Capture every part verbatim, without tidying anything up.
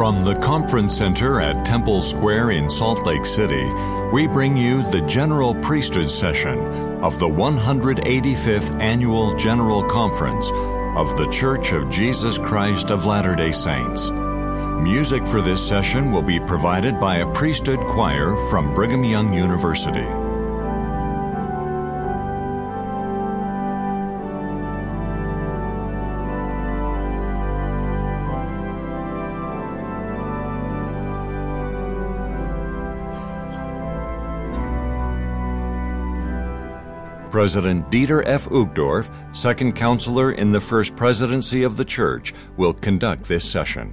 From the Conference Center at Temple Square in Salt Lake City, we bring you the General Priesthood session of the one hundred eighty-fifth Annual General Conference of the Church of Jesus Christ of Latter-day Saints. Music for this session will be provided by a priesthood choir from Brigham Young University. President Dieter F. Uchtdorf, second counselor in the First Presidency of the Church, will conduct this session.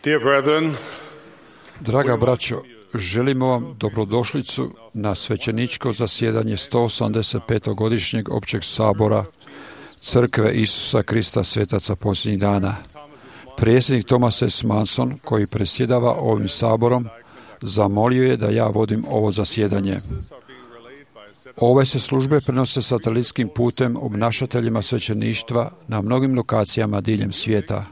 Dear brethren, Draga braćo, želimo vam dobrodošlicu na svećeničko zasjedanje sto osamdeset petog godišnjeg općeg sabora Crkve Isusa Krista svetaca posljednjih dana. Predsjednik Thomas S. Manson, koji predsjedava ovim saborom, zamolio je da ja vodim ovo zasjedanje. Ove se službe prenose satelitskim putem obnašateljima svećeništva na mnogim lokacijama diljem svijeta.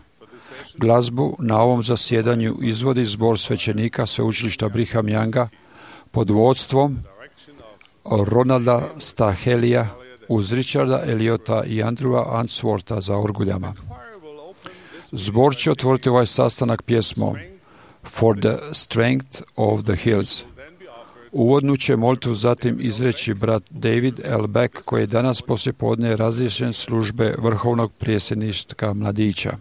Glazbu na ovom zasjedanju izvodi zbor svećenika sveučilišta Brigham Younga pod vodstvom Ronalda Stahelija uz Richarda Eliota i Andrewa Answortha za orguljama. Zbor će otvoriti ovaj sastanak pjesmom For the Strength of the Hills. Uvodnu će molitvu zatim izreći brat David L. Beck, koji je danas poslijepodne razriješen službe vrhovnog predsjedništva mladića.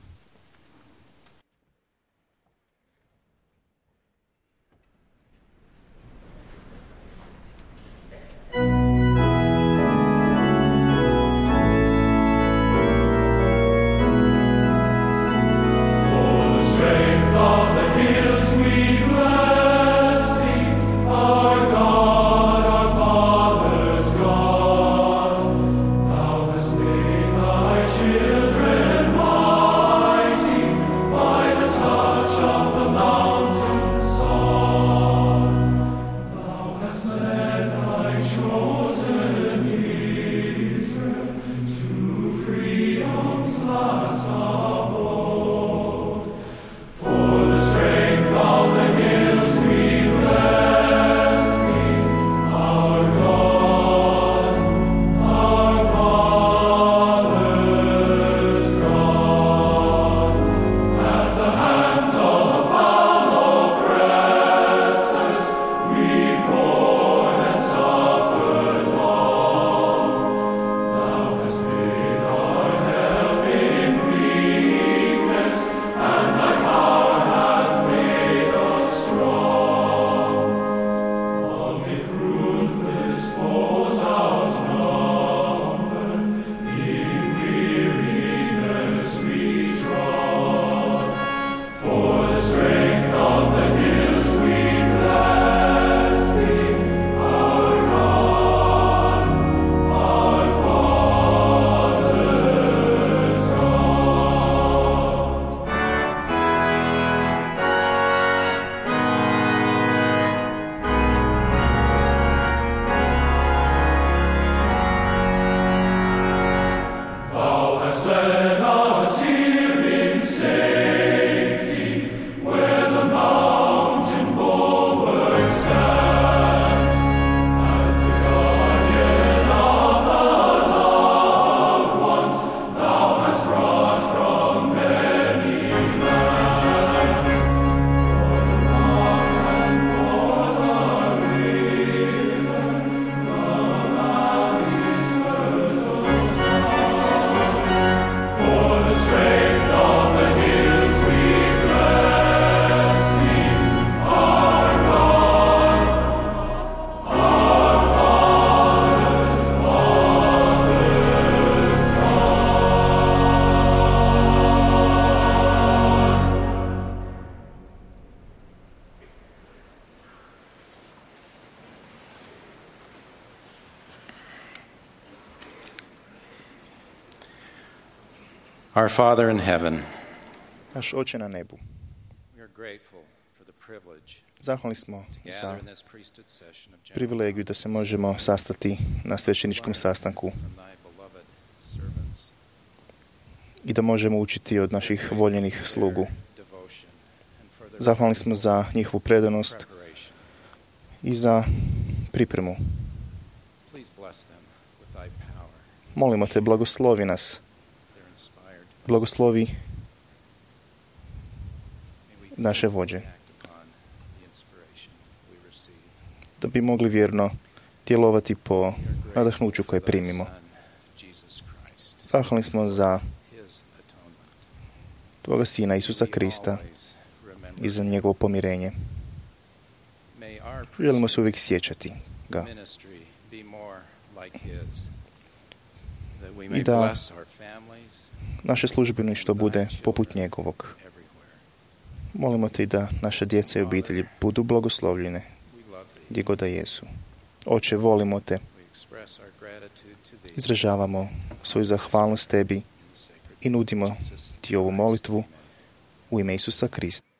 Our Father in heaven, Naš Oče na nebu, we are grateful for the privilege zahvalni smo to za gather in this priesthood session of general privilegiju da se možemo sastati na svećeničkom sastanku from thy i da možemo učiti od naših voljenih slugu. Zahvalni smo za njihovu predanost i za pripremu. Molimo te, blagoslovi nas. Blagoslovi naše vođe, da bi mogli vjerno djelovati po nadahnuću koje primimo. Zahvalni smo za Tvoga Sina Isusa Krista i za njegovo pomirenje. Želimo se uvijek sjećati ga i da naše službeništvo bude poput njegovog. Molimo te i da naše djeca i obitelji budu blagoslovljene gdje god da jesu. Oče, volimo te. Izražavamo svoju zahvalnost tebi i nudimo ti ovu molitvu u ime Isusa Krista.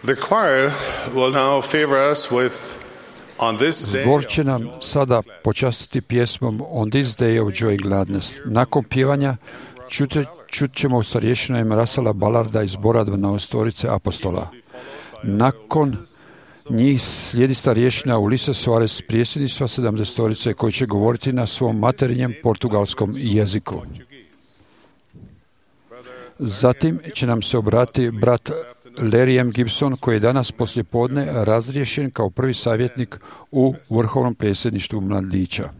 The choir will now favor us with on this day. Zbor će nam sada počastiti pjesmom On this day of joy and gladness. Nakon pjevanja čut, čut ćemo starješinu Emerasala Ballarda iz zbora dvanaestorice apostola. Nakon njih slijedi starješina Ulise Soares, predsjedništva sedamdesetorice, koji će govoriti na svom materinjem portugalskom jeziku. Zatim će nam se obratiti brat Larry M. Gibson, koji je danas poslijepodne razriješen kao prvi savjetnik u vrhovnom predsjedništvu mladića.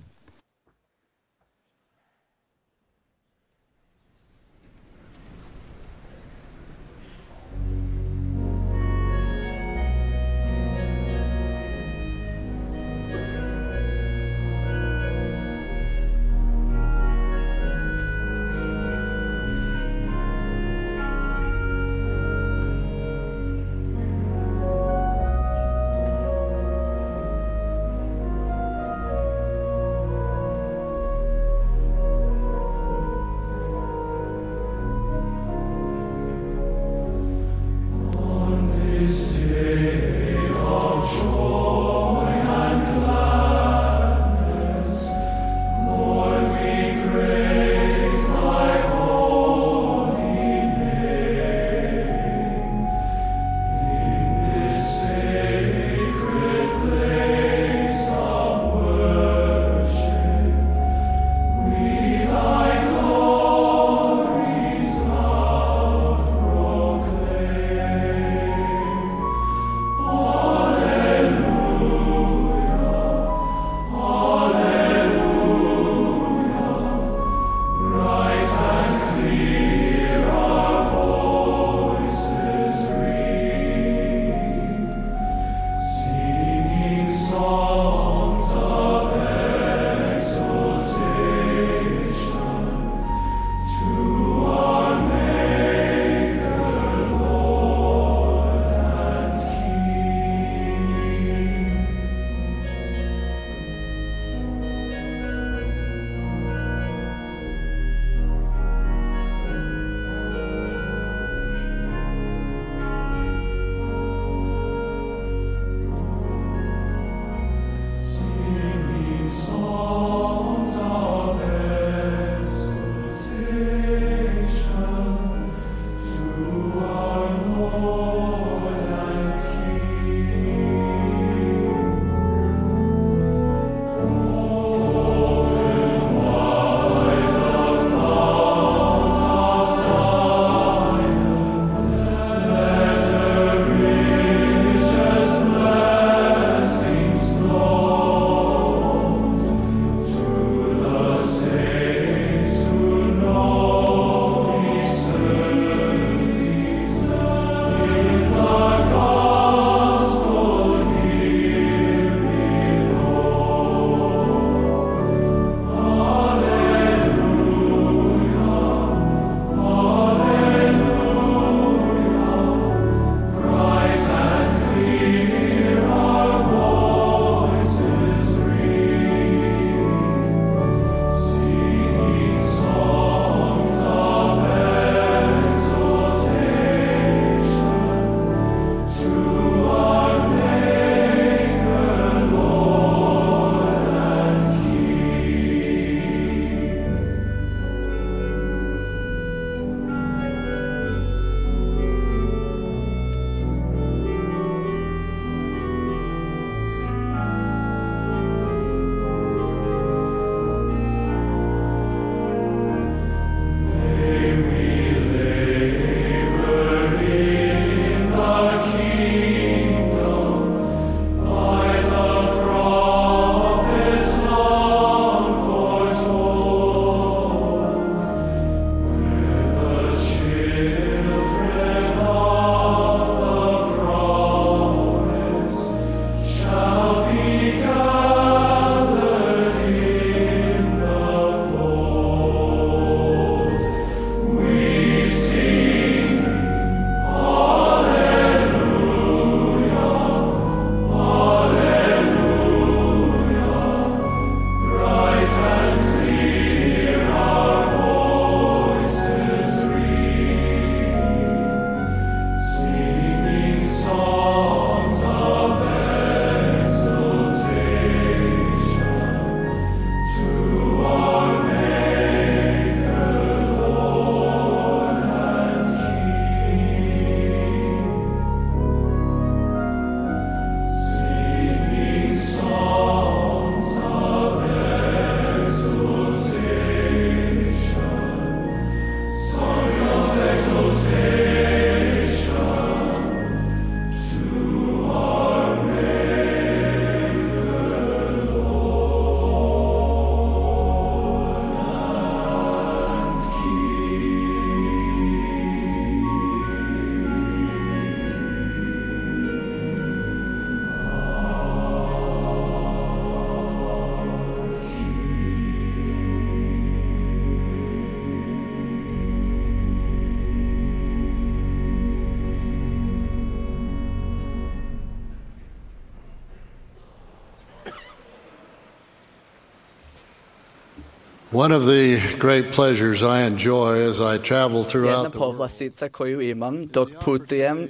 One of the great pleasures I enjoy as I travel Jedna throughout the world povlastica koju imam dok putujem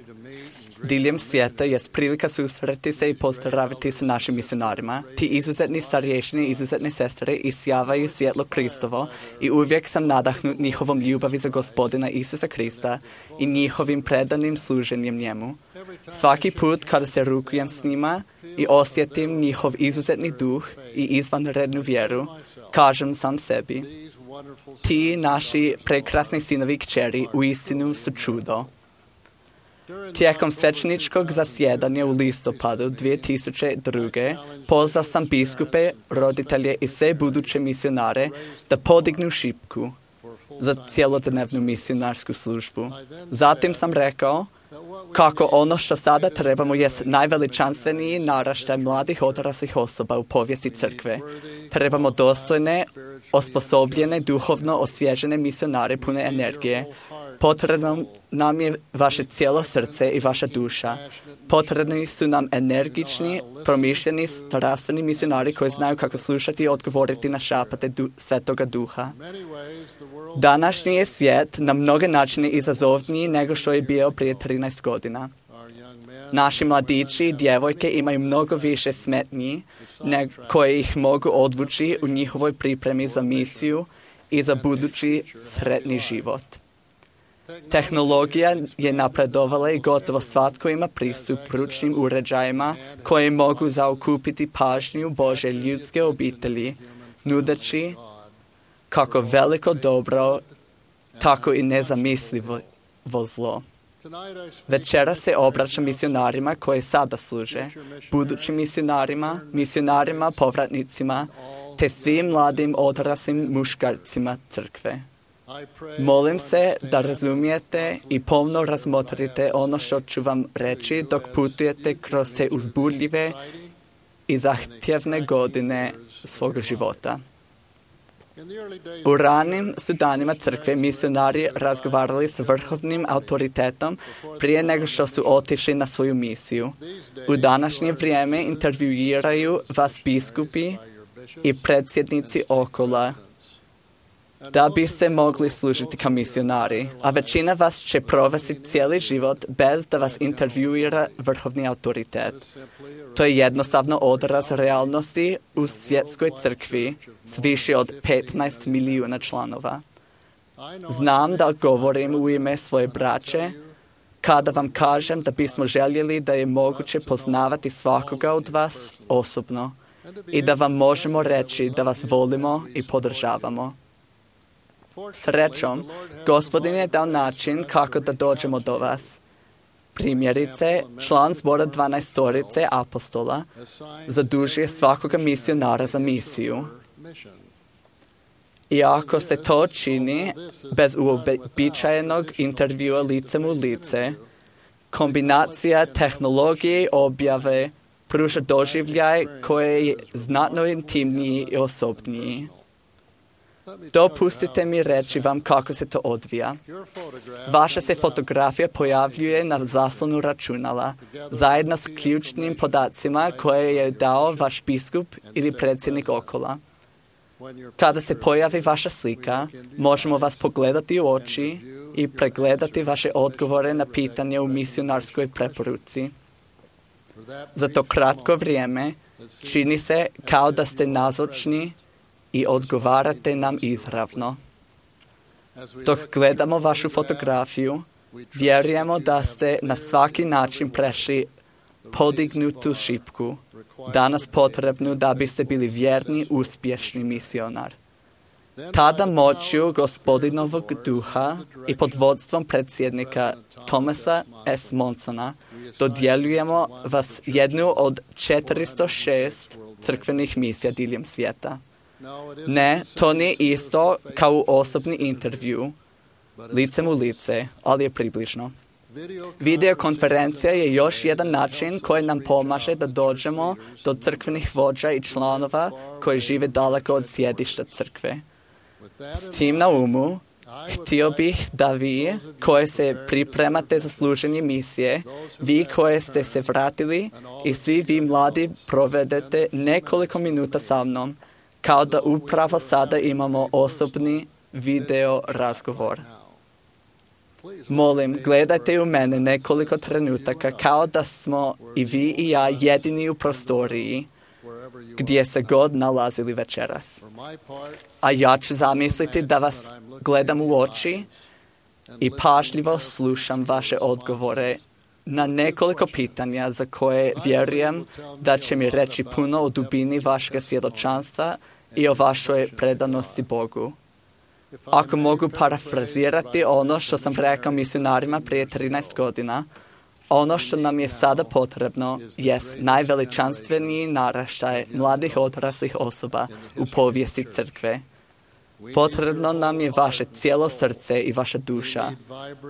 diljem svijeta jest prilika susreti se i pozdraviti sa našim misionarima. Ti izuzetni starješini, izuzetne sestre isjavaju svjetlo Kristovo i uvijek sam nadahnut njihovom ljubavi za Gospodina Isusa Krista i njihovim predanim služenjem njemu. Svaki put kada se rukujem s njima i osjetim njihov izuzetni duh i izvanrednu vjeru, kažem sam sebi, ti naši prekrasni sinovi i kćeri uistinu su čudo. Tijekom svećeničkog zasjedanja u listopadu dvije tisuće druge. pozvao sam biskupe, roditelje i sve buduće misionare da podignu šipku za cjelodnevnu misionarsku službu. Zatim sam rekao kako ono što sada trebamo jest najveličanstveniji naraštaj mladih odraslih osoba u povijesti crkve. Trebamo dostojne, osposobljene, duhovno osvježene misionare pune energije. Potrebno nam je vaše cijelo srce i vaša duša. Potrebni su nam energični, promišljeni, strastveni misionari koji znaju kako slušati i odgovoriti na šapate du- Svetoga Duha. Današnji je svijet na mnoge načine izazovniji nego što je bio prije trinaest godina. Naši mladići i djevojke imaju mnogo više smetnji koje ih mogu odvući u njihovoj pripremi za misiju i za budući sretni život. Tehnologija je napredovala i gotovo svatko ima pristup ručnim uređajima koji mogu zaokupiti pažnju Božje ljudske obitelji, nudeći kako veliko dobro, tako i nezamislivo zlo. Večera se obraćam misionarima koji sada služe, budućim misionarima, misionarima, povratnicima, te svim mladim odraslim muškarcima crkve. Molim se da razumijete i pomno razmotrite ono što ću vam reći dok putujete kroz te uzbudljive i zahtjevne godine svoga života. U ranim su danima crkve misionari razgovarali s vrhovnim autoritetom prije nego što su otišli na svoju misiju. U današnje vrijeme intervjuiraju vas biskupi i predsjednici okola da biste mogli služiti kao misionari, a većina vas će provesti cijeli život bez da vas intervjuira vrhovni autoritet. To je jednostavno odraz realnosti u svjetskoj crkvi s više od petnaest milijuna članova. Znam da govorim u ime svoje braće kada vam kažem da bismo željeli da je moguće poznavati svakoga od vas osobno i da vam možemo reći da vas volimo i podržavamo. Srećom, Gospodin je dao način kako da dođemo do vas. Primjerice, član zbora dvanaestorice apostola zadužuje svakoga misionara za misiju. I ako se to čini bez uobičajenog intervjua licem u lice, kombinacija tehnologije i objave pruža doživljaj koji je znatno intimniji i osobniji. Dopustite mi reći vam kako se to odvija. Vaša se fotografija pojavljuje na zaslonu računala, zajedno s ključnim podacima koje je dao vaš biskup ili predsjednik okola. Kada se pojavi vaša slika, možemo vas pogledati u oči i pregledati vaše odgovore na pitanje u misionarskoj preporuci. Za to kratko vrijeme čini se kao da ste nazočni i odgovarate nam izravno. Dok gledamo vašu fotografiju, vjerujemo da ste na svaki način prešli podignutu šipku, danas potrebnu da biste bili vjerni, uspješni misionar. Tada moću Gospodinovog duha i pod vodstvom predsjednika Thomasa S. Monsona dodjeljujemo vas jednu od četiristo šest crkvenih misija diljem svijeta. Ne, to nije isto kao u osobni intervju, licem u lice, ali je približno. Videokonferencija je još jedan način koji nam pomaže da dođemo do crkvenih vođa i članova koji žive daleko od sjedišta crkve. S tim na umu, htio bih da vi, koji se pripremate za služenje misije, vi koji ste se vratili i svi vi mladi provedete nekoliko minuta sa mnom, kao da upravo sada imamo osobni video razgovor. Molim, gledajte u mene nekoliko trenutaka kao da smo i vi i ja jedini u prostoriji gdje se god nalazili večeras. A ja ću zamisliti da vas gledam u oči i pažljivo slušam vaše odgovore na nekoliko pitanja za koje vjerujem da će mi reći puno o dubini vašeg svjedočanstva i o vašoj predanosti Bogu. Ako mogu parafrazirati ono što sam rekao misionarima prije trinaest godina, ono što nam je sada potrebno jest najveličanstveniji naraštaj mladih odraslih osoba u povijesti crkve. Potrebno nam je vaše cijelo srce i vaša duša.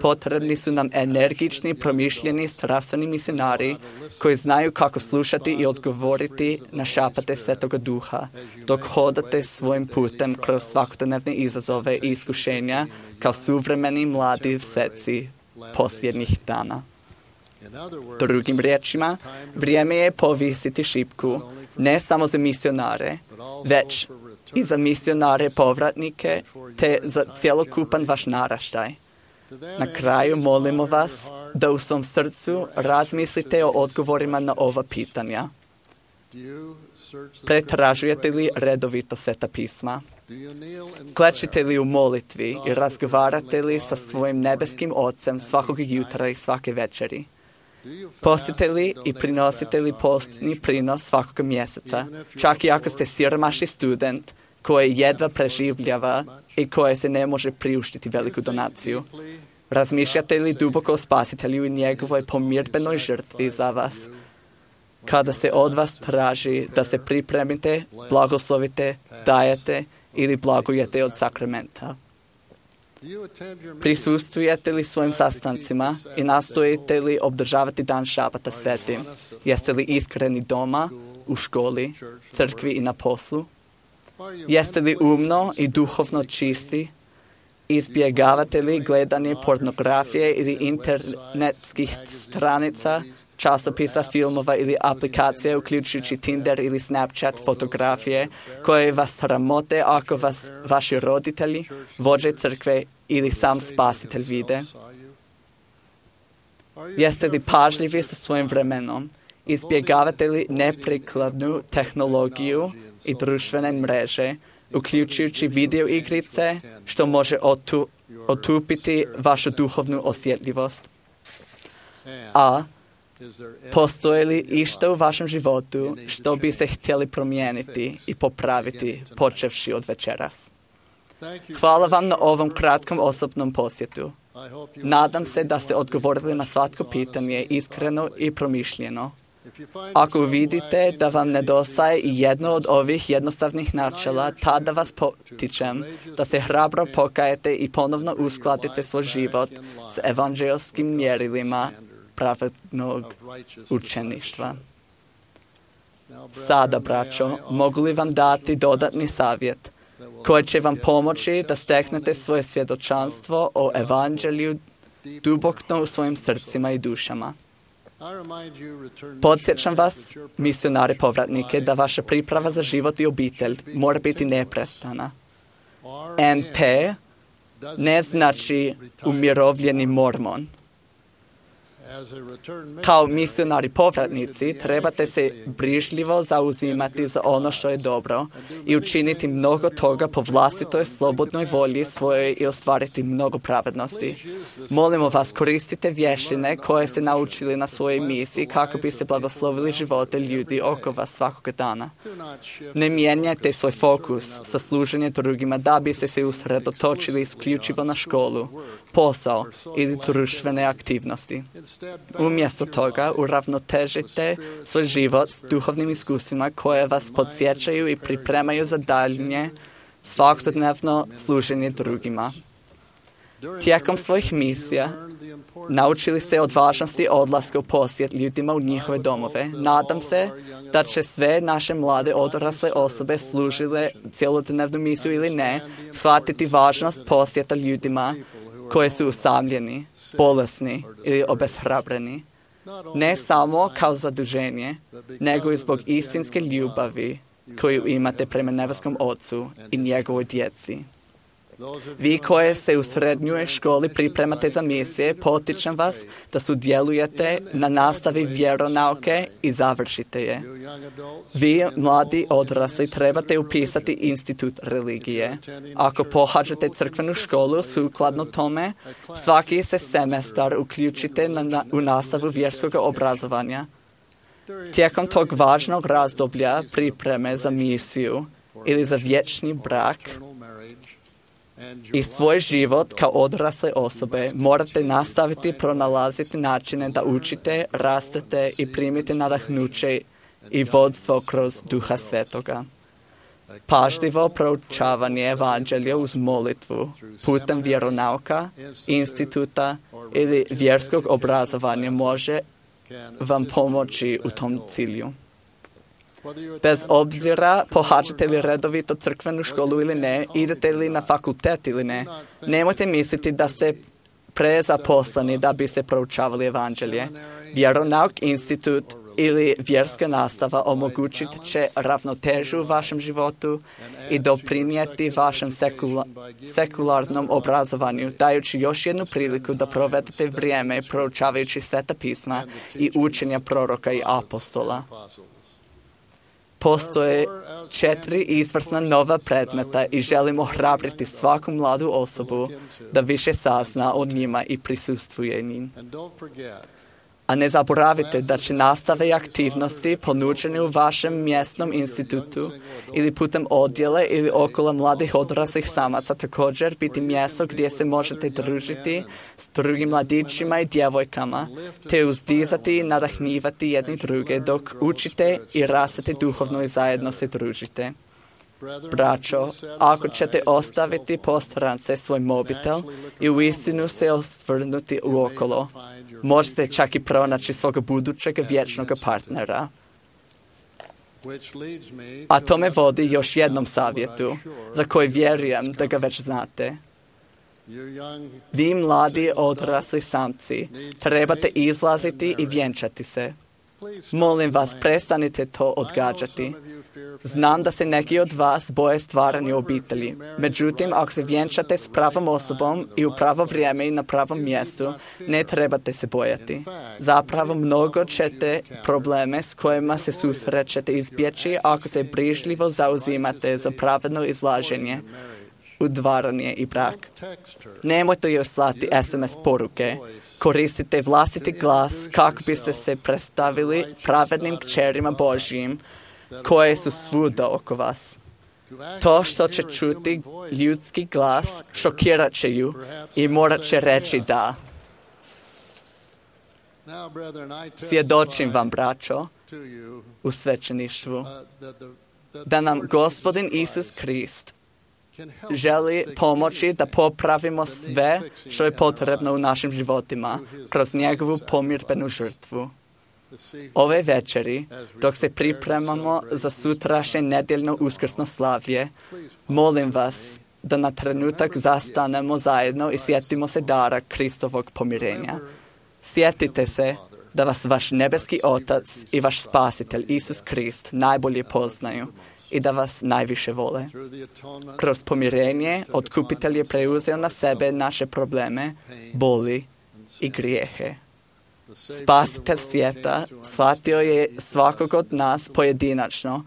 Potrebni su nam energični, promišljeni, strastveni misionari koji znaju kako slušati i odgovoriti na šapate Svetoga Duha, dok hodate svojim putem kroz svakodnevne izazove i iskušenja kao suvremeni mladi sveci posljednjih dana. Drugim riječima, vrijeme je povisiti šipku ne samo za misionare, već i za misionare povratnike, te za cjelokupan vaš naraštaj. Na kraju molimo vas da u svom srcu razmislite o odgovorima na ova pitanja. Pretražujete li redovito Sveta pisma? Klečite li u molitvi i razgovarate li sa svojim nebeskim Ocem svakog jutra i svake večeri? Postite li i prinosite li postni prinos svakog mjeseca, čak i ako ste siromašni student koji jedva preživljava i koji se ne može priuštiti veliku donaciju? Razmišljate li duboko o Spasitelju i njegovoj pomirbenoj žrtvi za vas? Kada se od vas traži da se pripremite, blagoslovite, dajete ili blagujete od sakramenta? Prisustvujete li svojim sastancima i nastojite li obdržavati dan šabata svetim? Jeste li iskreni doma, u školi, crkvi i na poslu? Jeste li umno i duhovno čisti? Izbjegavate li gledanje pornografije ili internetskih stranica, časopisa, filmova ili aplikacije, uključujući Tinder ili Snapchat fotografije, koje vas sramote ako vas vaši roditelji, vođe crkve ili sam Spasitelj vide? Jeste li pažljivi sa svojim vremenom? Izbjegavate li neprikladnu tehnologiju i društvene mreže, uključujući video igrice, što može otu, otupiti vašu duhovnu osjetljivost? A postoji li išta u vašem životu što biste htjeli promijeniti i popraviti, počevši od večeras? Hvala vam na ovom kratkom osobnom posjetu. Nadam se da ste odgovorili na svatko pitanje iskreno i promišljeno. Ako vidite da vam nedostaje i jedno od ovih jednostavnih načela, tada vas potičem da se hrabro pokajete i ponovno uskladite svoj život s evanđelskim mjerilima pravednog učeništva. Sada, braćo, mogu li vam dati dodatni savjet koji će vam pomoći da steknete svoje svjedočanstvo o evanđelju duboko u svojim srcima i dušama? Podsjećam vas, misionari povratnike, da vaša priprava za život i obitelj mora biti neprestana. M P ne znači umirovljeni mormon. Kao misionari povratnici trebate se brižljivo zauzimati za ono što je dobro i učiniti mnogo toga po vlastitoj slobodnoj volji svojoj i ostvariti mnogo pravednosti. Molimo vas, koristite vještine koje ste naučili na svojoj misiji kako biste blagoslovili živote ljudi oko vas svakog dana. Ne mijenjajte svoj fokus sa služenje drugima da biste se usredotočili isključivo na školu, posao ili društvene aktivnosti. Umjesto toga uravnotežite svoj život s duhovnim iskustvima koje vas podsjećaju i pripremaju za daljnje svakodnevno služenje drugima. Tijekom svojih misija naučili ste od važnosti odlaska u posjet ljudima u njihove domove. Nadam se da će sve naše mlade odrasle osobe služile cjelodnevnu misiju ili ne, shvatiti važnost posjeta ljudima koji su usamljeni, bolesni ili obeshrabreni, ne samo kao zaduženje, nego i zbog istinske ljubavi koju imate prema nebeskom Ocu i njegovoj djeci. Vi koje se u srednjoj školi pripremate za misije, potičem vas da sudjelujete na nastavi vjeronauke i završite je. Vi, mladi odrasli, trebate upisati institut religije. Ako pohađate crkvenu školu sukladno tome, svaki se semestar uključite na, na, u nastavu vjerskog obrazovanja. Tijekom tog važnog razdoblja pripreme za misiju ili za vječni brak i svoj život kao odrasle osobe morate nastaviti pronalaziti načine da učite, rastete i primite nadahnuće i vodstvo kroz Duha Svetoga. Pažljivo proučavanje evanđelja uz molitvu putem vjeronauka, instituta ili vjerskog obrazovanja može vam pomoći u tom cilju. Bez obzira pohađate li redovito crkvenu školu ili ne, idete li na fakultet ili ne, nemojte misliti da ste prezaposleni da biste proučavali evanđelje. Vjeronauk, institut ili vjerska nastava omogućit će ravnotežu u vašem životu i doprinijeti vašem sekula, sekularnom obrazovanju, dajući još jednu priliku da provedete vrijeme proučavajući Sveta pisma i učenja proroka i apostola. Postoje četiri izvrsna nova predmeta i želimo hrabriti svaku mladu osobu da više sazna o njima i prisustvuje njim. A ne zaboravite da će nastave i aktivnosti ponuđene u vašem mjesnom institutu ili putem odjele ili okolo mladih odraslih samaca također biti mjesto gdje se možete družiti s drugim mladićima i djevojkama, te uzdizati i nadahnjivati jedni druge dok učite i rastete duhovno i zajedno se družite. Braćo, ako ćete ostaviti po strance svoj mobitel i uistinu se osvrnuti uokolo, možete čak i pronaći svog budućeg vječnog partnera. A to me vodi još jednom savjetu, za koji vjerujem da ga već znate. Vi mladi odrasli samci trebate izlaziti i vjenčati se. Molim vas, prestanite to odgađati. Znam da se neki od vas boje stvaranja obitelji. Međutim, ako se vjenčate s pravom osobom i u pravo vrijeme i na pravom mjestu, ne trebate se bojati. Zapravo, mnogo ćete probleme s kojima se susrećete izbjeći ako se brižljivo zauzimate za pravedno izlaženje, udvaranje i brak. Nemojte joj slati es em es poruke. Koristite vlastiti glas kako biste se predstavili pravednim kćerima Božjim koje su svuda oko vas. To što će čuti ljudski glas šokirat će ju i morat će reći da. Svjedočim vam, braćo, u svećeništvu, da nam Gospodin Isus Krist želi pomoći da popravimo sve što je potrebno u našim životima kroz njegovu pomirbenu žrtvu. Ove večeri, dok se pripremamo za sutrašnje nedjeljno uskrsno slavlje, molim vas da na trenutak zastanemo zajedno i sjetimo se dara Kristovog pomirenja. Sjetite se da vas vaš nebeski Otac i vaš Spasitelj Isus Krist najbolje poznaju i da vas najviše vole. Kroz pomirenje Otkupitelj je preuzeo na sebe naše probleme, boli i grijehe. Spasitelj svijeta shvatio je svakog od nas pojedinačno,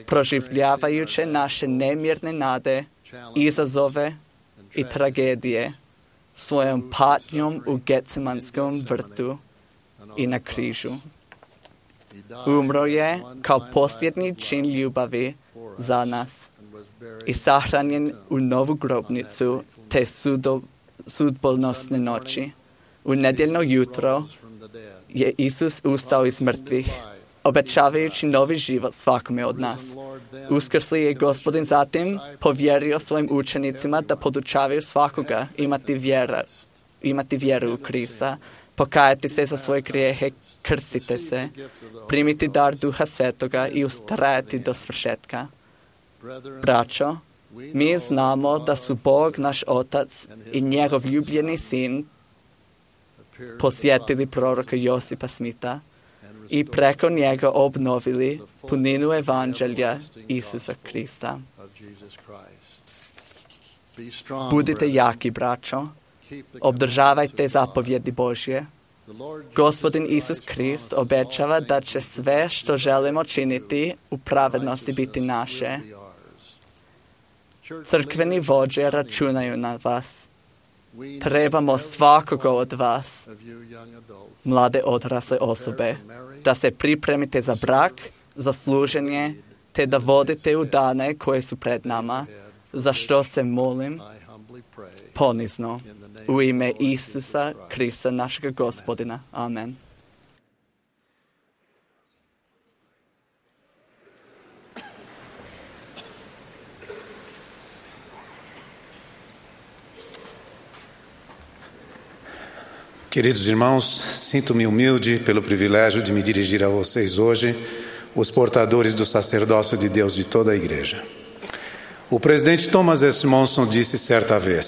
proživljavajući naše nemirne nade, izazove i tragedije svojom patnjom u Getsemanskom vrtu i na križu. Umro je kao posljednji čin ljubavi za nas i sahranjen u novu grobnicu te sudo, sudbonosne noći. U nedjeljno jutro je Isus ustao iz mrtvih, obećavajući novi život svakome od nas. Uskrsli je Gospodin zatim povjerio svojim učenicima da podučavaju svakoga imati, vjera, imati vjeru u Krista, pokajati se za svoje grijehe, krstite se, primiti dar Duha Svetoga i ustrajati do svršetka. Braćo, mi znamo da su Bog, naš Otac i njegov ljubljeni sin posjetili proroka Josipa Smita i preko njega obnovili puninu evanđelja Isusa Krista. Budite jaki, braćo, obdržavajte zapovjedi Božje. Gospodin Isus Krist obećava da će sve što želimo činiti u pravednosti biti naše. Crkveni vođe računaju na vas. Trebamo svakoga od vas, mlade odrasle osobe, da se pripremite za brak, za služenje, te da vodite u dane koje su pred nama, za što se molim ponizno u ime Isusa Krista, našega Gospodina. Amen. Queridos irmãos, sinto-me humilde pelo privilégio de me dirigir a vocês hoje, os portadores do sacerdócio de Deus de toda a Igreja. O presidente Thomas S. Monson disse certa vez: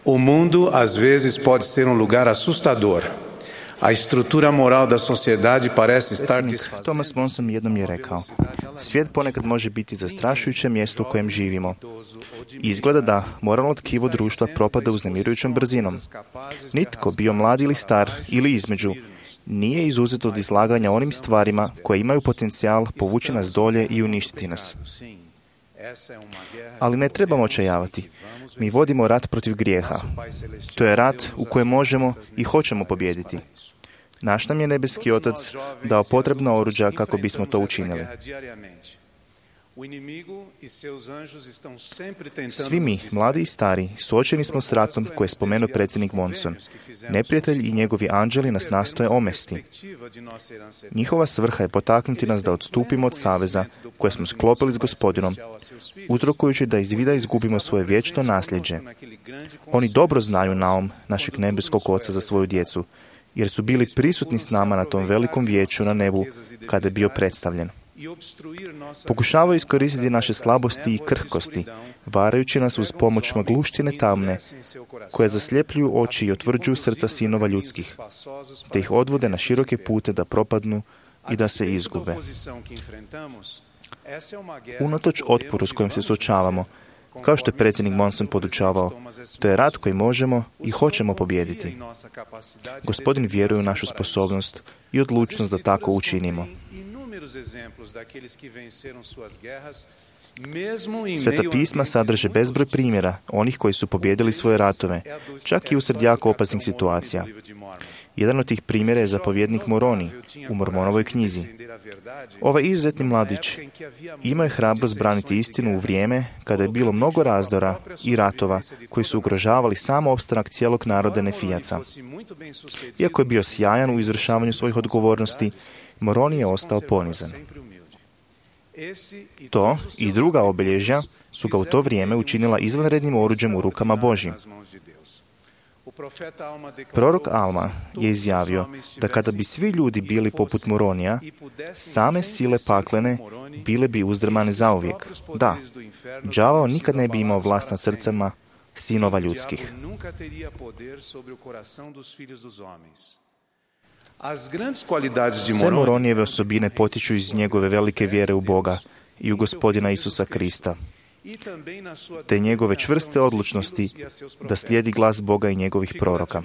o mundo às vezes pode ser um lugar assustador. A estrutura moral da sociedade parece estar desfazendo. Thomas Monson jednom je rekao: svijet ponekad može biti zastrašujuće mjesto u kojem živimo. Izgleda da moralno tkivo društva propada uznemirujućom brzinom. Nitko, bio mlad ili star ili između, nije izuzet od izlaganja onim stvarima koje imaju potencijal povući nas dolje i uništiti nas. Ali ne trebamo očajavati. Mi vodimo rat protiv grijeha. To je rat u kojem možemo i hoćemo pobijediti. Naš nam je nebeski Otac dao potrebna oruđa kako bismo to učinili. Svi mi, mladi i stari, suočeni smo s ratom koje je spomenuo predsjednik Monson. Neprijatelj i njegovi anđeli nas nastoje omesti. Njihova svrha je potaknuti nas da odstupimo od saveza koje smo sklopili s Gospodinom, uzrokujući da iz vida izgubimo svoje vječno nasljeđe. Oni dobro znaju naum našeg nebeskog Oca za svoju djecu, jer su bili prisutni s nama na tom velikom vijeću na nebu kada je bio predstavljen. Pokušavaju iskoristiti naše slabosti i krhkosti, varajući nas uz pomoć magluštine tamne, koje zasljepljuju oči i otvrđuju srca sinova ljudskih, te ih odvode na široke pute da propadnu i da se izgube. Unatoč otporu s kojim se suočavamo, kao što je predsjednik Monson podučavao, to je rat koji možemo i hoćemo pobijediti. Gospodin vjeruje u našu sposobnost i odlučnost da tako učinimo. Sveta pisma sadrže bezbroj primjera onih koji su pobijedili svoje ratove, čak i usred jako opasnih situacija. Jedan od tih primjera je zapovjednik Moroni u Mormonovoj knjizi. Ovaj izuzetni mladić imao je hrabrost braniti istinu u vrijeme kada je bilo mnogo razdora i ratova koji su ugrožavali samo opstanak cijelog naroda Nefijaca. Iako je bio sjajan u izvršavanju svojih odgovornosti, Moroni je ostao ponizan. To i druga obilježja su ga u to vrijeme učinila izvanrednim oruđem u rukama Božjim. Prorok Alma je izjavio da kada bi svi ljudi bili poput Moronija, same sile paklene bile bi uzdrmane zauvijek. Da, đavao nikad ne bi imao vlast nad srcama sinova ljudskih. Sve Moronijeve osobine potiču iz njegove velike vjere u Boga i u Gospodina Isusa Krista, te njegove čvrste odlučnosti da slijedi glas Boga i njegovih proroka.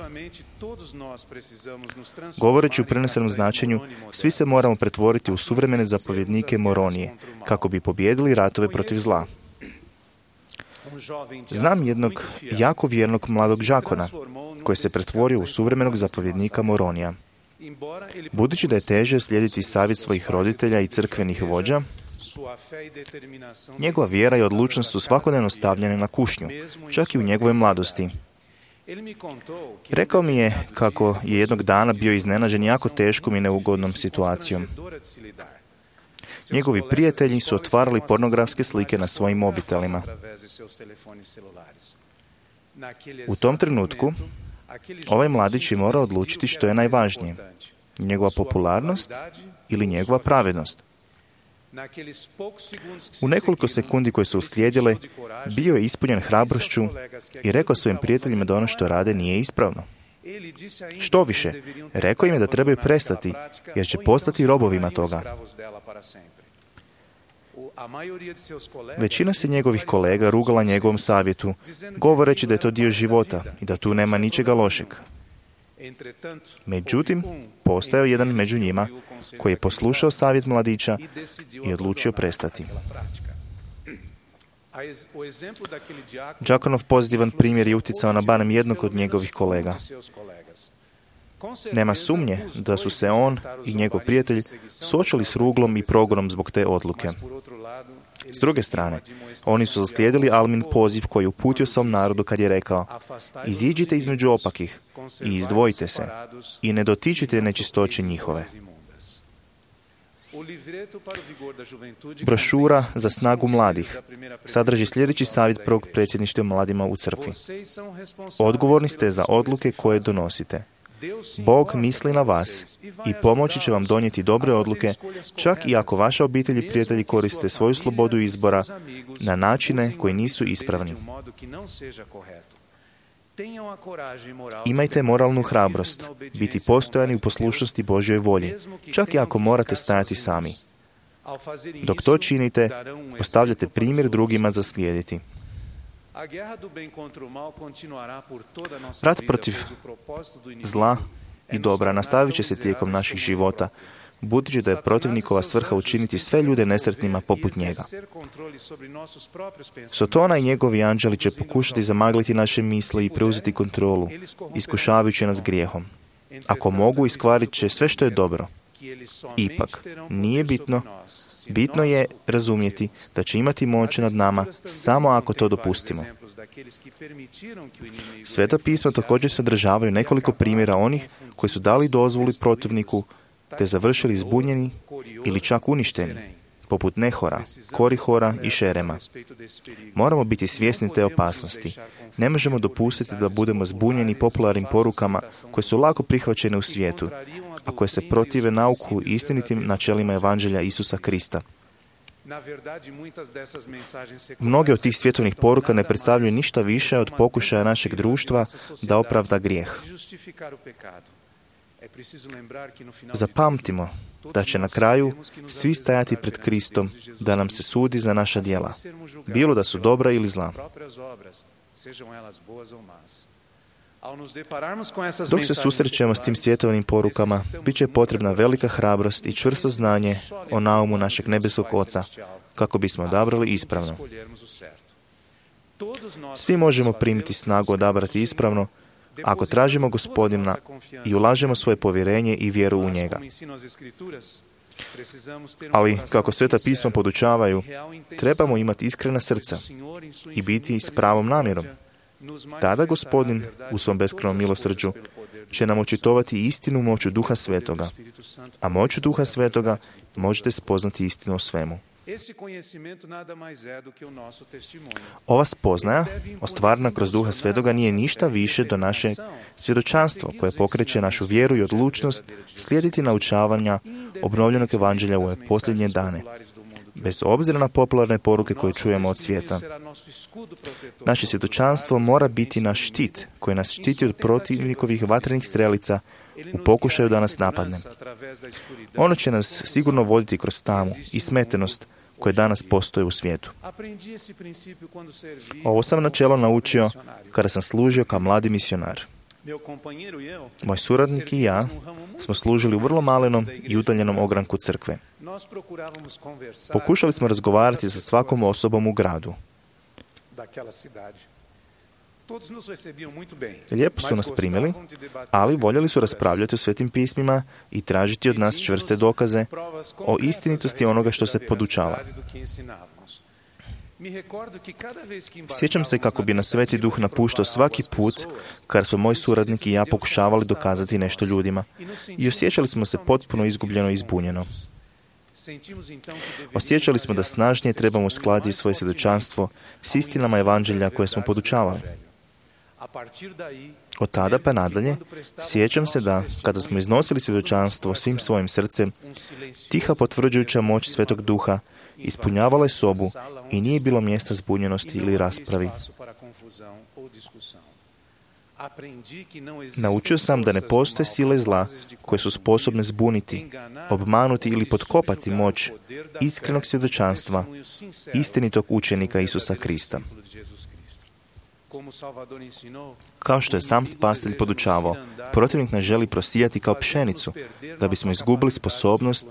Govoreći u prenesenom značenju, svi se moramo pretvoriti u suvremene zapovjednike Moronije, kako bi pobijedili ratove protiv zla. Znam jednog jako vjernog mladog đakona, koji se pretvorio u suvremenog zapovjednika Moronija. Budući da je teže slijediti savjet svojih roditelja i crkvenih vođa, njegova vjera i odlučnost su svakodnevno stavljene na kušnju, čak i u njegove mladosti. Rekao mi je kako je jednog dana bio iznenađen jako teškom i neugodnom situacijom. Njegovi prijatelji su otvarali pornografske slike na svojim mobitelima. U tom trenutku ovaj mladić je morao odlučiti što je najvažnije, njegova popularnost ili njegova pravednost. U nekoliko sekundi koje su uslijedile, bio je ispunjen hrabrošću i rekao svojim prijateljima da ono što rade nije ispravno. Što više, rekao im je da trebaju prestati, jer će postati robovima toga. Većina se njegovih kolega rugala njegovom savjetu, govoreći da je to dio života i da tu nema ničega lošeg. Međutim, postojao jedan među njima koji je poslušao savjet mladića i odlučio prestati. Đakonov pozitivan primjer je utjecao na barem jednog od njegovih kolega. Nema sumnje da su se on i njegov prijatelj suočili s ruglom i progonom zbog te odluke. S druge strane, oni su zaslijedili Almin poziv koji je uputio svom narodu kad je rekao: iziđite između opakih i izdvojite se i ne dotičite nečistoće njihove. Brošura za snagu mladih sadrži sljedeći savjet prvog predsjedništva mladima u crkvi. Odgovorni ste za odluke koje donosite. Bog misli na vas i pomoći će vam donijeti dobre odluke, čak i ako vaša obitelj i prijatelji koriste svoju slobodu izbora na načine koji nisu ispravni. Imajte moralnu hrabrost, biti postojani u poslušnosti Božjoj volji, čak i ako morate stajati sami. Dok to činite, postavljate primjer drugima za slijediti. Rat protiv zla i dobra nastavit će se tijekom naših života, budući da je protivnikova svrha učiniti sve ljude nesretnima poput njega. Sotona i njegovi anđeli će pokušati zamagliti naše misli i preuzeti kontrolu, iskušavajući nas grijehom. Ako mogu, iskvarit će sve što je dobro. Ipak, nije bitno, bitno je razumjeti da će imati moć nad nama samo ako to dopustimo. Sveta pisma također sadržavaju nekoliko primjera onih koji su dali dozvolu protivniku te završili zbunjeni ili čak uništeni, poput Nehora, Korihora i Šerema. Moramo biti svjesni te opasnosti. Ne možemo dopustiti da budemo zbunjeni popularnim porukama koje su lako prihvaćene u svijetu, a koje se protive nauku i istinitim načelima Evanđelja Isusa Krista. Mnoge od tih svjetovnih poruka ne predstavljaju ništa više od pokušaja našeg društva da opravda grijeh. Zapamtimo da će na kraju svi stajati pred Kristom da nam se sudi za naša djela, bilo da su dobra ili zla. Dok se susrećemo s tim svjetovnim porukama, bit će potrebna velika hrabrost i čvrsto znanje o naumu našeg nebeskog Oca, kako bismo odabrali ispravno. Svi možemo primiti snagu odabrati ispravno, ako tražimo Gospodina i ulažemo svoje povjerenje i vjeru u njega. Ali, kako Sveta pisma podučavaju, trebamo imati iskrena srca i biti s pravom namjerom. Tada Gospodin, u svom beskrajnom milosrđu, će nam očitovati istinu moću Duha Svetoga, a moću Duha Svetoga možete spoznati istinu o svemu. Ova spoznaja, ostvarena kroz Duha Svetoga, nije ništa više do naše svjedočanstvo koje pokreće našu vjeru i odlučnost slijediti naučavanja obnovljenog evanđelja u ove posljednje dane, bez obzira na popularne poruke koje čujemo od svijeta. Naše svjedočanstvo mora biti naš štit koji nas štiti od protivnikovih vatrenih strelica u pokušaju da nas napadne. Ono će nas sigurno voditi kroz tamu i smetenost koje danas postoje u svijetu. Ovo sam načelo naučio kada sam služio kao mladi misionar. Moj suradnik i ja smo služili u vrlo malenom i udaljenom ogranku crkve. Pokušali smo razgovarati sa svakom osobom u gradu. Lijepo su nas primili, ali voljeli su raspravljati o svetim pismima i tražiti od nas čvrste dokaze o istinitosti onoga što se podučava. Sjećam se kako bi nas Sveti Duh napuštao svaki put kad smo moj suradnik i ja pokušavali dokazati nešto ljudima i osjećali smo se potpuno izgubljeno i izbunjeno. Osjećali smo da snažnije trebamo uskladiti svoje svjedočanstvo s istinama evanđelja koje smo podučavali. Od tada pa nadalje, sjećam se da, kada smo iznosili svjedočanstvo svim svojim srcem, tiha potvrđujuća moć Svetog Duha ispunjavala je sobu i nije bilo mjesta zbunjenosti ili raspravi. Naučio sam da ne postoje sile zla koje su sposobne zbuniti, obmanuti ili potkopati moć iskrenog svjedočanstva istinitog učenika Isusa Krista. Kao što je sam Spasitelj podučavao, protivnik nas želi prosijati kao pšenicu, da bismo izgubili sposobnost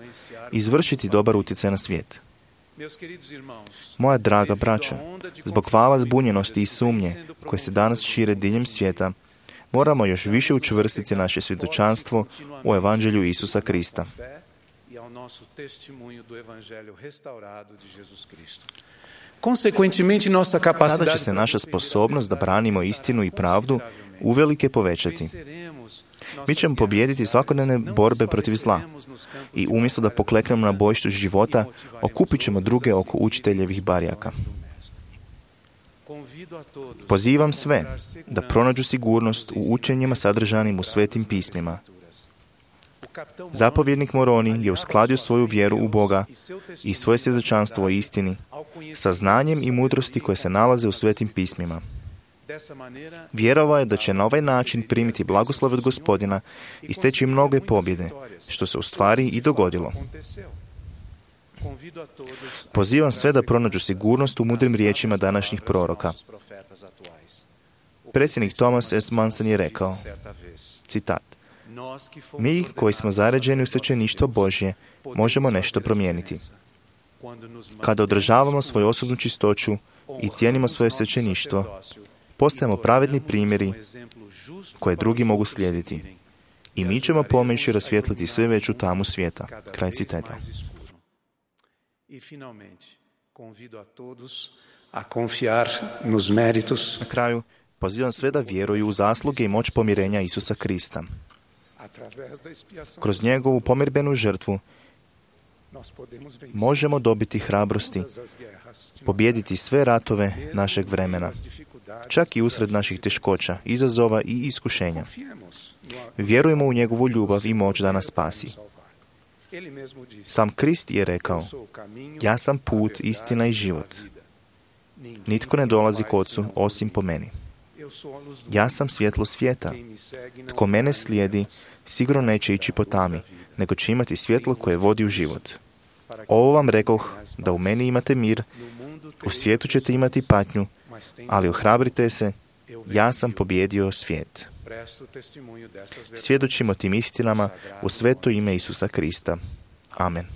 izvršiti dobar utjecaj na svijet. Moja draga braćo, zbog vala zbunjenosti i sumnje koje se danas šire diljem svijeta, moramo još više učvrstiti naše svjedočanstvo u Evanđelju Isusa Krista. Tada će se naša sposobnost da branimo istinu i pravdu uvelike povećati. Mi ćemo pobijediti svakodnevne borbe protiv zla i umjesto da pokleknemo na bojištu života, okupit ćemo druge oko učiteljevih barjaka. Pozivam sve da pronađu sigurnost u učenjima sadržanim u svetim pismima. Zapovjednik Moroni je uskladio svoju vjeru u Boga i svoje svjedočanstvo o istini sa znanjem i mudrosti koje se nalaze u svetim pismima. Vjerovao je da će na ovaj način primiti blagoslov od Gospodina i steći mnoge pobjede, što se u stvari i dogodilo. Pozivam sve da pronađu sigurnost u mudrim riječima današnjih proroka. Predsjednik Thomas S. Manson je rekao, citat, mi koji smo zaređeni u svećeništvo Božje možemo nešto promijeniti. Kada održavamo svoju osobnu čistoću i cijenimo svoje svećeništvo, postajemo pravedni primjeri koje drugi mogu slijediti. I mi ćemo pomoći rasvijetliti sve veću tamu svijeta. Kraj citata. Na kraju, pozivam sve da vjeruju u zasluge i moć pomirenja Isusa Krista. Kroz njegovu pomirbenu žrtvu možemo dobiti hrabrosti, pobijediti sve ratove našeg vremena, čak i usred naših teškoća, izazova i iskušenja. Vjerujemo u njegovu ljubav i moć da nas spasi. Sam Krist je rekao, ja sam put, istina i život. Nitko ne dolazi k Ocu osim po meni. Ja sam svjetlo svijeta. Tko mene slijedi, sigurno neće ići po tami, nego će imati svjetlo koje vodi u život. Ovo vam rekoh, da u meni imate mir, u svijetu ćete imati patnju, ali ohrabrite se, ja sam pobijedio svijet. Svjedočimo tim istinama u sveto ime Isusa Krista. Amen.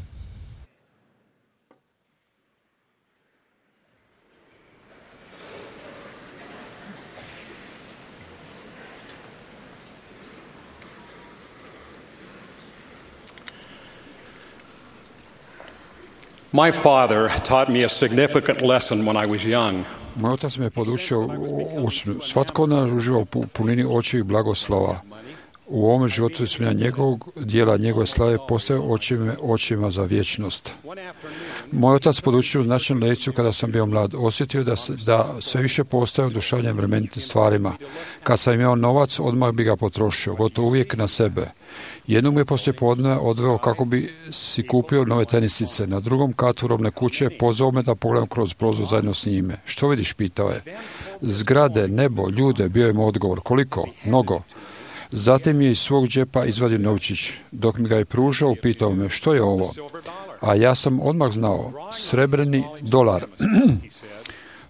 My father taught me a significant lesson when I was young. Moj otac me je podučio usnu. Svatko od nas uživa u punini očevih blagoslova. U ovom životu ispunjenja njegovog dijela, njegove slave postaje očima, očima za vječnost. Moj otac podučio značajnu lekciju kada sam bio mlad. Osjetio da, da sve više postaje oduševljen vremenitim stvarima. Kad sam imao novac, odmah bi ga potrošio, gotovo uvijek na sebe. Jednog me poslije podne odveo kako bi si kupio nove tenisice. Na drugom katu robne kuće pozvao me da pogledam kroz prozor zajedno s njime. Što vidiš, pitao je. Zgrade, nebo, ljude, bio je mu odgovor. Koliko? Mnogo. Zatim je iz svog džepa izvadio novčić. Dok mi ga je pružao, pitao me, što je ovo? A ja sam odmah znao, srebrni dolar.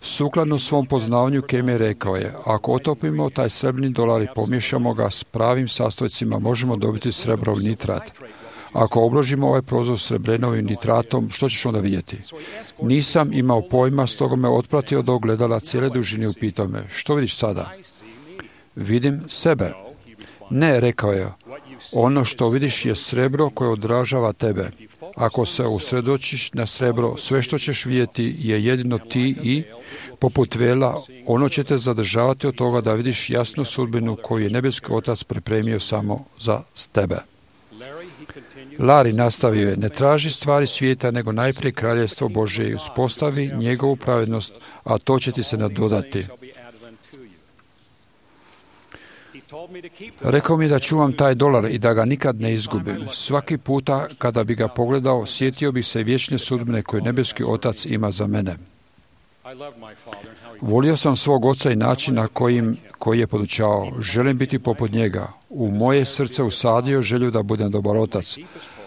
Sukladno svom poznavanju Kemi rekao je, ako otopimo taj srebrni dolar i pomiješamo ga s pravim sastojcima, možemo dobiti srebrov nitrat. Ako obložimo ovaj prozor srebrenovim nitratom, što ćeš onda vidjeti? Nisam imao pojma, stoga me otpratio od ogledala cijele dužine i upitao me, što vidiš sada? Vidim sebe. Ne, rekao je, ono što vidiš je srebro koje odražava tebe. Ako se usredočiš na srebro, sve što ćeš vidjeti je jedino ti i, poput vela, ono će te zadržavati od toga da vidiš jasnu sudbinu koju je nebeski otac pripremio samo za tebe. Larry nastavio je, ne traži stvari svijeta, nego najprije kraljevstvo Božje i uspostavi njegovu pravednost, a to će ti se nadodati. Rekao mi da čuvam taj dolar i da ga nikad ne izgubim. Svaki puta kada bi ga pogledao, sjetio bih se vječne sudbine koje nebeski otac ima za mene. Volio sam svog oca i način na kojim, koji je podučavao. Želim biti poput njega. U moje srce usadio želju da budem dobar otac,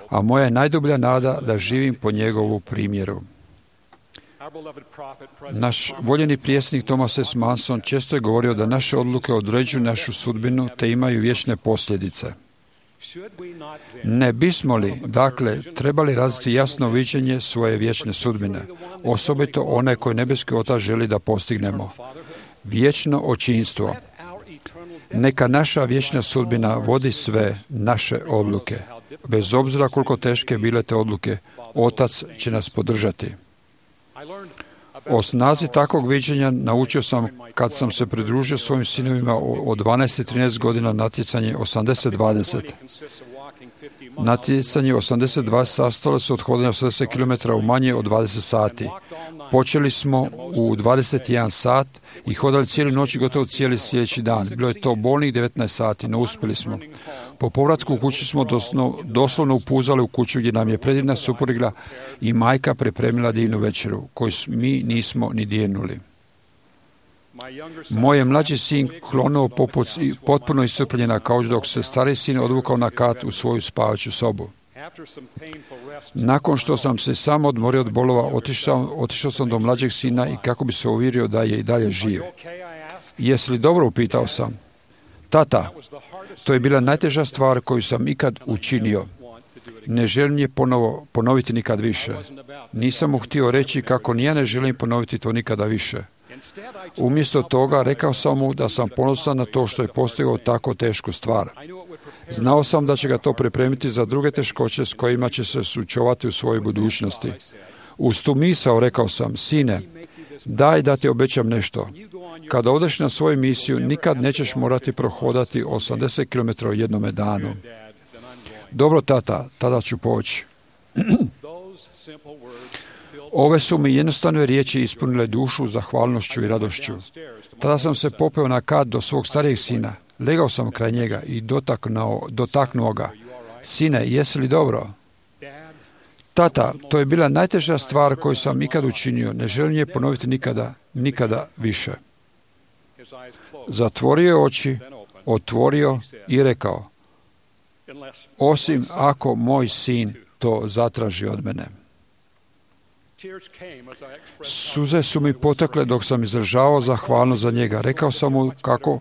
a moja je najdublja nada da živim po njegovu primjeru. Naš voljeni prijesnik Thomas S. Manson često je govorio da naše odluke određuju našu sudbinu te imaju vječne posljedice. Ne bismo li, dakle, trebali razviti jasno viđenje svoje vječne sudbine, osobito one koje nebeski otac želi da postignemo. Vječno očinstvo. Neka naša vječna sudbina vodi sve naše odluke. Bez obzira koliko teške bile te odluke, otac će nas podržati. O snazi takvog viđenja naučio sam kad sam se pridružio svojim sinovima od dvanaest i trinaest godina natjecanje osamdeset dvadeset. Natjecanje osamdeset dvadeset sastalo se od hodanja osamdeset kilometara u manje od dvadeset sati. Počeli smo u dvadeset jedan sat i hodali cijelu noć i gotovo cijeli sljedeći dan. Bilo je to bolnih devetnaest sati, no uspjeli smo. Po povratku u kući smo doslovno, doslovno upuzali u kuću gdje nam je predivna supruga i majka pripremila divnu večeru, koju mi nismo ni dirnuli. Moj je mlađi sin klonuo poput potpuno iscrpljen na kauč, dok se stari sin odvukao na kat u svoju spavaću sobu. Nakon što sam se sam odmorio od bolova, otišao, otišao sam do mlađeg sina i kako bi se uvjerio da je i dalje živ. Jesi li dobro, upitao sam. Tata, to je bila najteža stvar koju sam ikad učinio. Ne želim je ponovo, ponoviti nikad više. Nisam mu htio reći kako ni ja ne želim ponoviti to nikada više. Umjesto toga rekao sam mu da sam ponosan na to što je postigao tako tešku stvar. Znao sam da će ga to pripremiti za druge teškoće s kojima će se suočavati u svojoj budućnosti. Uz tu misao rekao sam, sine, daj da ti obećam nešto. Kada odeš na svoju misiju, nikad nećeš morati prohodati osamdeset kilometara u jednome danu. Dobro, tata, tada ću poći. Ove su mi jednostavne riječi ispunile dušu zahvalnošću i radošću. Tada sam se popeo na kat do svog starijeg sina. Legao sam kraj njega i dotaknuo, dotaknuo ga. Sine, jesi li dobro? Tata, to je bila najteža stvar koju sam ikad učinio. Ne želim je ponoviti nikada, nikada više. Zatvorio je oči, otvorio i rekao, osim ako moj sin to zatraži od mene. Suze su mi potekle dok sam izražavao zahvalnost za njega. Rekao sam mu kako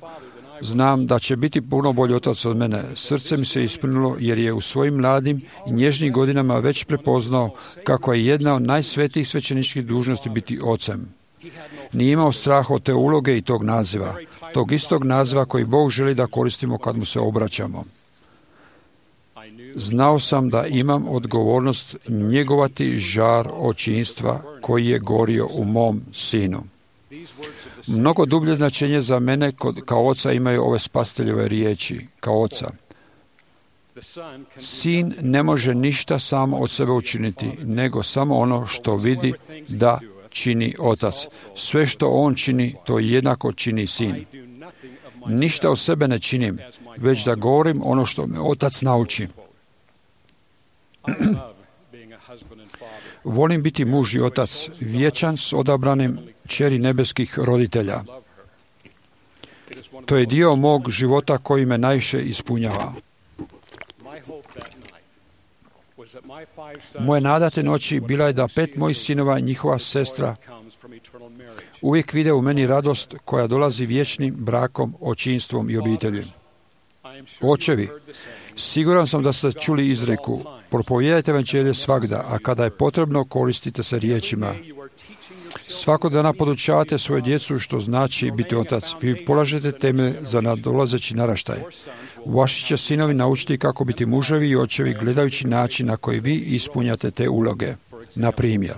znam da će biti puno bolji otac od mene. Srce mi se ispunilo jer je u svojim mladim i nježnim godinama već prepoznao kako je jedna od najsvetijih svećeničkih dužnosti biti ocem. Nije imao strah od te uloge i tog naziva, tog istog naziva koji Bog želi da koristimo kad mu se obraćamo. Znao sam da imam odgovornost njegovati žar očinstva koji je gorio u mom sinu. Mnogo dublje značenje za mene kod, kao oca imaju ove spasiteljove riječi, kao oca. Sin ne može ništa sam od sebe učiniti, nego samo ono što vidi da čini otac. Sve što on čini, to jednako čini sin. Ništa od sebe ne činim, već da govorim ono što me otac nauči. Volim biti muž i otac, vječan s odabranim kćeri nebeskih roditelja. To je dio mog života koji me najviše ispunjava. Moje nada te noći bila je da pet mojih sinova i njihova sestra uvijek vide u meni radost koja dolazi vječnim brakom, očinstvom i obitelji. Očevi, siguran sam da ste čuli izreku, propovijedajte evanđelje svagda, a kada je potrebno koristite se riječima. Svakog dana podučavate svoje djecu što znači biti otac. Vi polažete temelj za nadolazeći naraštaj. Vaši će sinovi naučiti kako biti muževi i očevi gledajući način na koji vi ispunjate te uloge. Na primjer,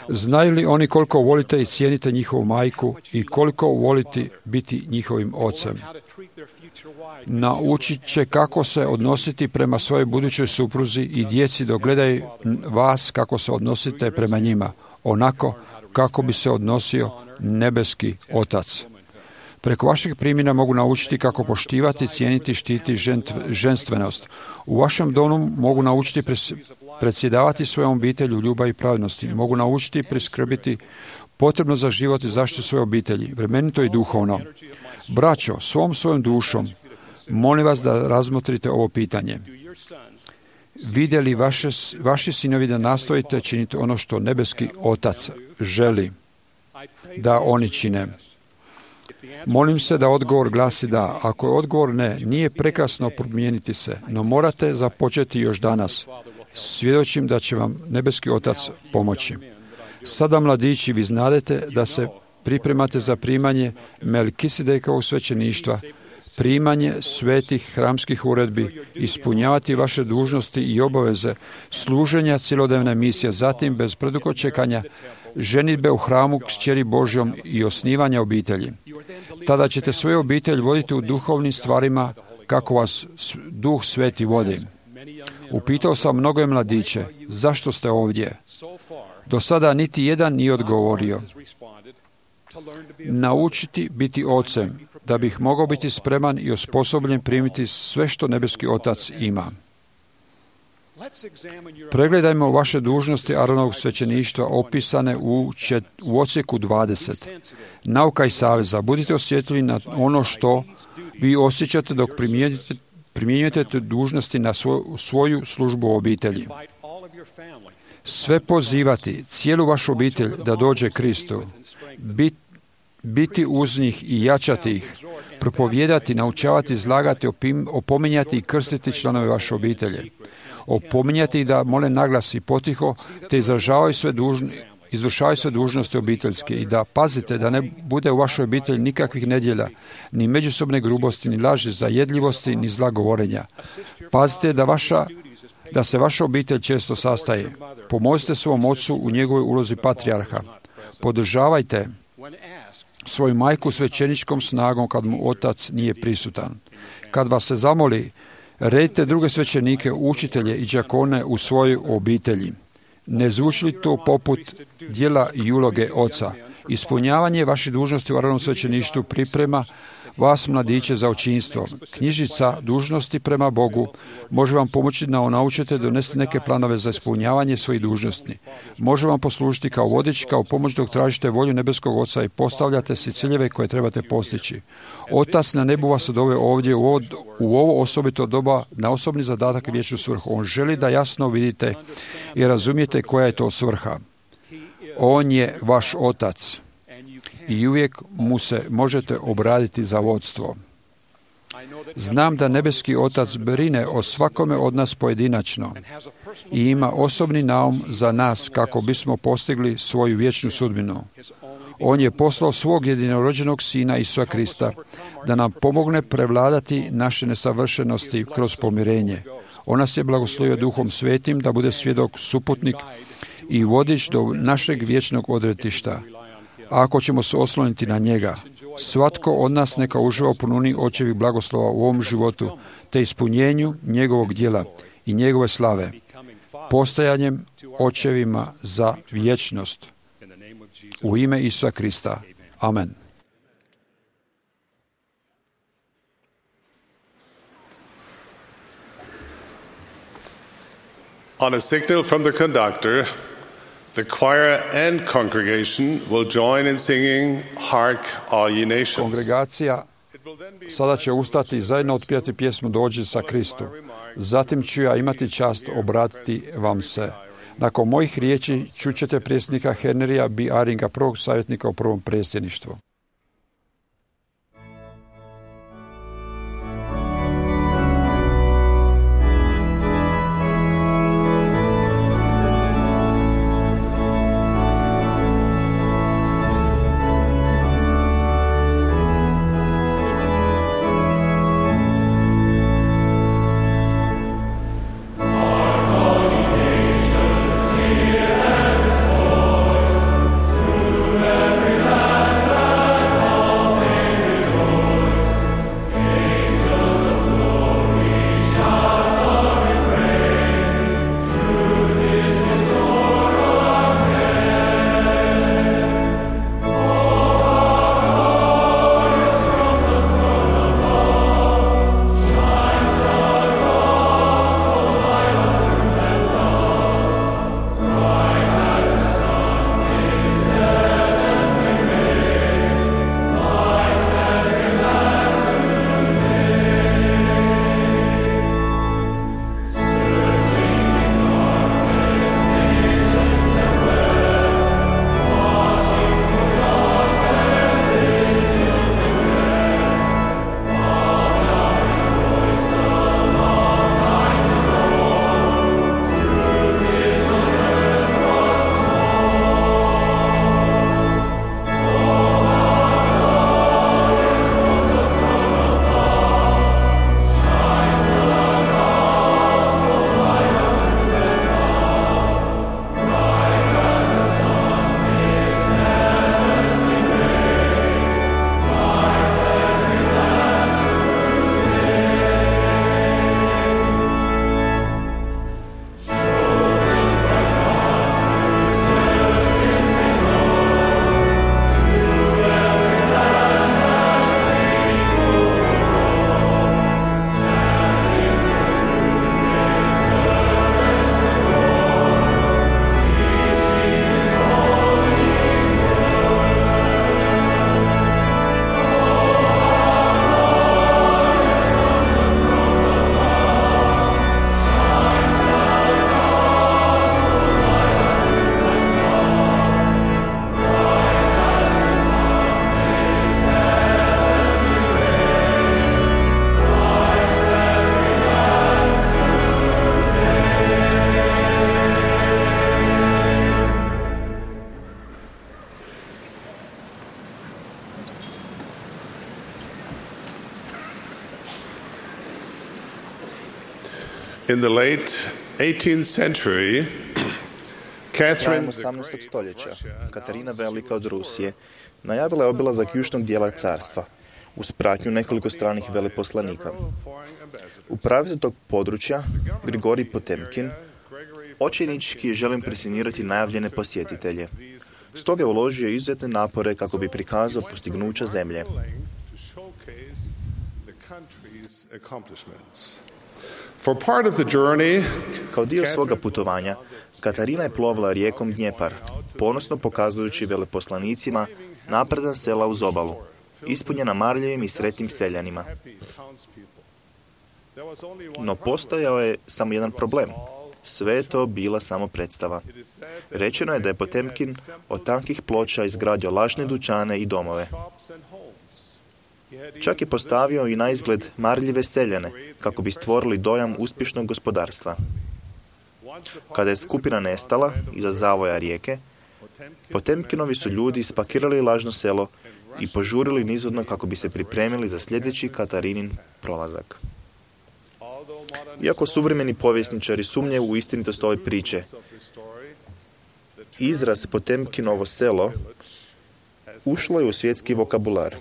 znaju li oni koliko volite i cijenite njihovu majku i koliko voliti biti njihovim ocem? Naučit će kako se odnositi prema svojoj budućoj supruzi i djeci dok gledaju vas kako se odnosite prema njima, onako kako bi se odnosio nebeski otac. Preko vašeg primjera mogu naučiti kako poštivati, cijeniti, štiti ženstvenost. U vašem domu mogu naučiti predsjedavati svojom obitelji u ljubavi i pravednosti, mogu naučiti i priskrbiti potrebno za život i zaštitu svoje obitelji, vremenito i duhovno. Braćo, svom svojom dušom, molim vas da razmotrite ovo pitanje. Vide li vaše, vaši sinovi da nastojite činiti ono što nebeski Otac želi da oni čine? Molim se da odgovor glasi da. Ako je odgovor ne, nije prekrasno promijeniti se, no morate započeti još danas. Svjedočim da će vam nebeski Otac pomoći. Sada, mladići, vi znadete da se pripremate za primanje Melkisedekovog svećeništva, primanje svetih hramskih uredbi, ispunjavati vaše dužnosti i obaveze, služenja cjelodnevne misije, zatim bez predugo čekanja, ženitbe u hramu s kćeri Božjom i osnivanja obitelji. Tada ćete svoju obitelj voditi u duhovnim stvarima kako vas Duh Sveti vodi. Upitao sam mnoge mladiće, zašto ste ovdje? Do sada niti jedan nije odgovorio. Naučiti biti ocem, da bih mogao biti spreman i osposobljen primiti sve što nebeski Otac ima. Pregledajmo vaše dužnosti Aronovog svećeništva opisane u, čet, u odsjeku dvadeset. Nauka i saveza. Budite osjetljivi na ono što vi osjećate dok primjenjujete, primjenjujete dužnosti na svoju, svoju službu u obitelji. Sve pozivati, cijelu vašu obitelj da dođe Kristu, bit, biti uz njih i jačati ih, propovijedati, naučavati, izlagati, opim, opominjati i krstiti članove vaše obitelje, opominjati da mole naglas i potiho, te izražavaju sve dužni, izvršavaju sve dužnosti obiteljske i da pazite da ne bude u vašoj obitelji nikakvih nedjelja, ni međusobne grubosti, ni laži, zajedljivosti, ni zla govorenja. Pazite da vaša da se vaša obitelj često sastaje. Pomozite svom ocu u njegovoj ulozi patrijarha. Podržavajte svoju majku svećeničkom snagom kad mu otac nije prisutan. Kad vas se zamoli, redite druge svećenike, učitelje i đakone u svojoj obitelji. Ne zvuči li to poput djela i uloge oca? Ispunjavanje vaših dužnosti u Aronovom svećeništvu priprema vas, mladiće, za očinstvo. Knjižica dužnosti prema Bogu može vam pomoći da naučite donesti neke planove za ispunjavanje svojih dužnosti. Može vam poslužiti kao vodič, kao pomoć dok tražite volju nebeskog Oca i postavljate si ciljeve koje trebate postići. Otac na nebu vas doveo ovdje u ovo, u ovo osobito doba na osobni zadatak i vječnu svrhu. On želi da jasno vidite i razumijete koja je to svrha. On je vaš Otac i uvijek mu se možete obratiti za vodstvo. Znam da nebeski Otac brine o svakome od nas pojedinačno i ima osobni naum za nas kako bismo postigli svoju vječnu sudbinu. On je poslao svog jedinorođenog Sina Isusa Krista da nam pomogne prevladati naše nesavršenosti kroz pomirenje. On nas je blagoslovio Duhom Svetim da bude svjedok, suputnik i vodič do našeg vječnog odretišta. A ako ćemo se osloniti na njega, svatko od nas neka uživa u punini očevih blagoslova u ovom životu, te ispunjenju njegovog djela i njegove slave, postajanjem očevima za vječnost. U ime Isusa Krista. Amen. On a signal from the conductor, the choir and congregation will join in singing Hark All Ye Nations. Kongregacija sada će ustati i zajedno otpjevati pjesmu Dođi sa Kristu. Zatim ću ja imati čast obratiti vam se. Nakon mojih riječi čućete predsjednika Henrya B. Aringa, prvog savjetnika u prvom predsjedništvu. Every land In the late eighteenth century, Krajem osamnaestog stoljeća, Katarina Velika od Rusije najavila je obilazak južnog dijela carstva, uz pratnju nekoliko stranih veleposlanika. Upravitelj tog područja, Grigorij Potemkin, očajnički je želio impresionirati najavljene posjetitelje. Stoga je uložio izuzetne napore kako bi prikazao postignuća zemlje. Kao dio svoga putovanja, Katarina je plovila rijekom Dnjepar, ponosno pokazujući veleposlanicima napredan sela uz obalu, ispunjena marljivim i sretnim seljanima. No postojao je samo jedan problem. Sve je to bila samo predstava. Rečeno je da je Potemkin od tankih ploča izgradio lažne dućane i domove. Čak je postavio i na izgled marljive seljane, kako bi stvorili dojam uspješnog gospodarstva. Kada je skupina nestala iza zavoja rijeke, Potemkinovi su ljudi spakirali lažno selo i požurili nizvodno kako bi se pripremili za sljedeći Katarinin prolazak. Iako suvremeni povjesničari sumnjaju u istinitost ove priče, izraz Potemkinovo selo ušlo je u svjetski vokabular.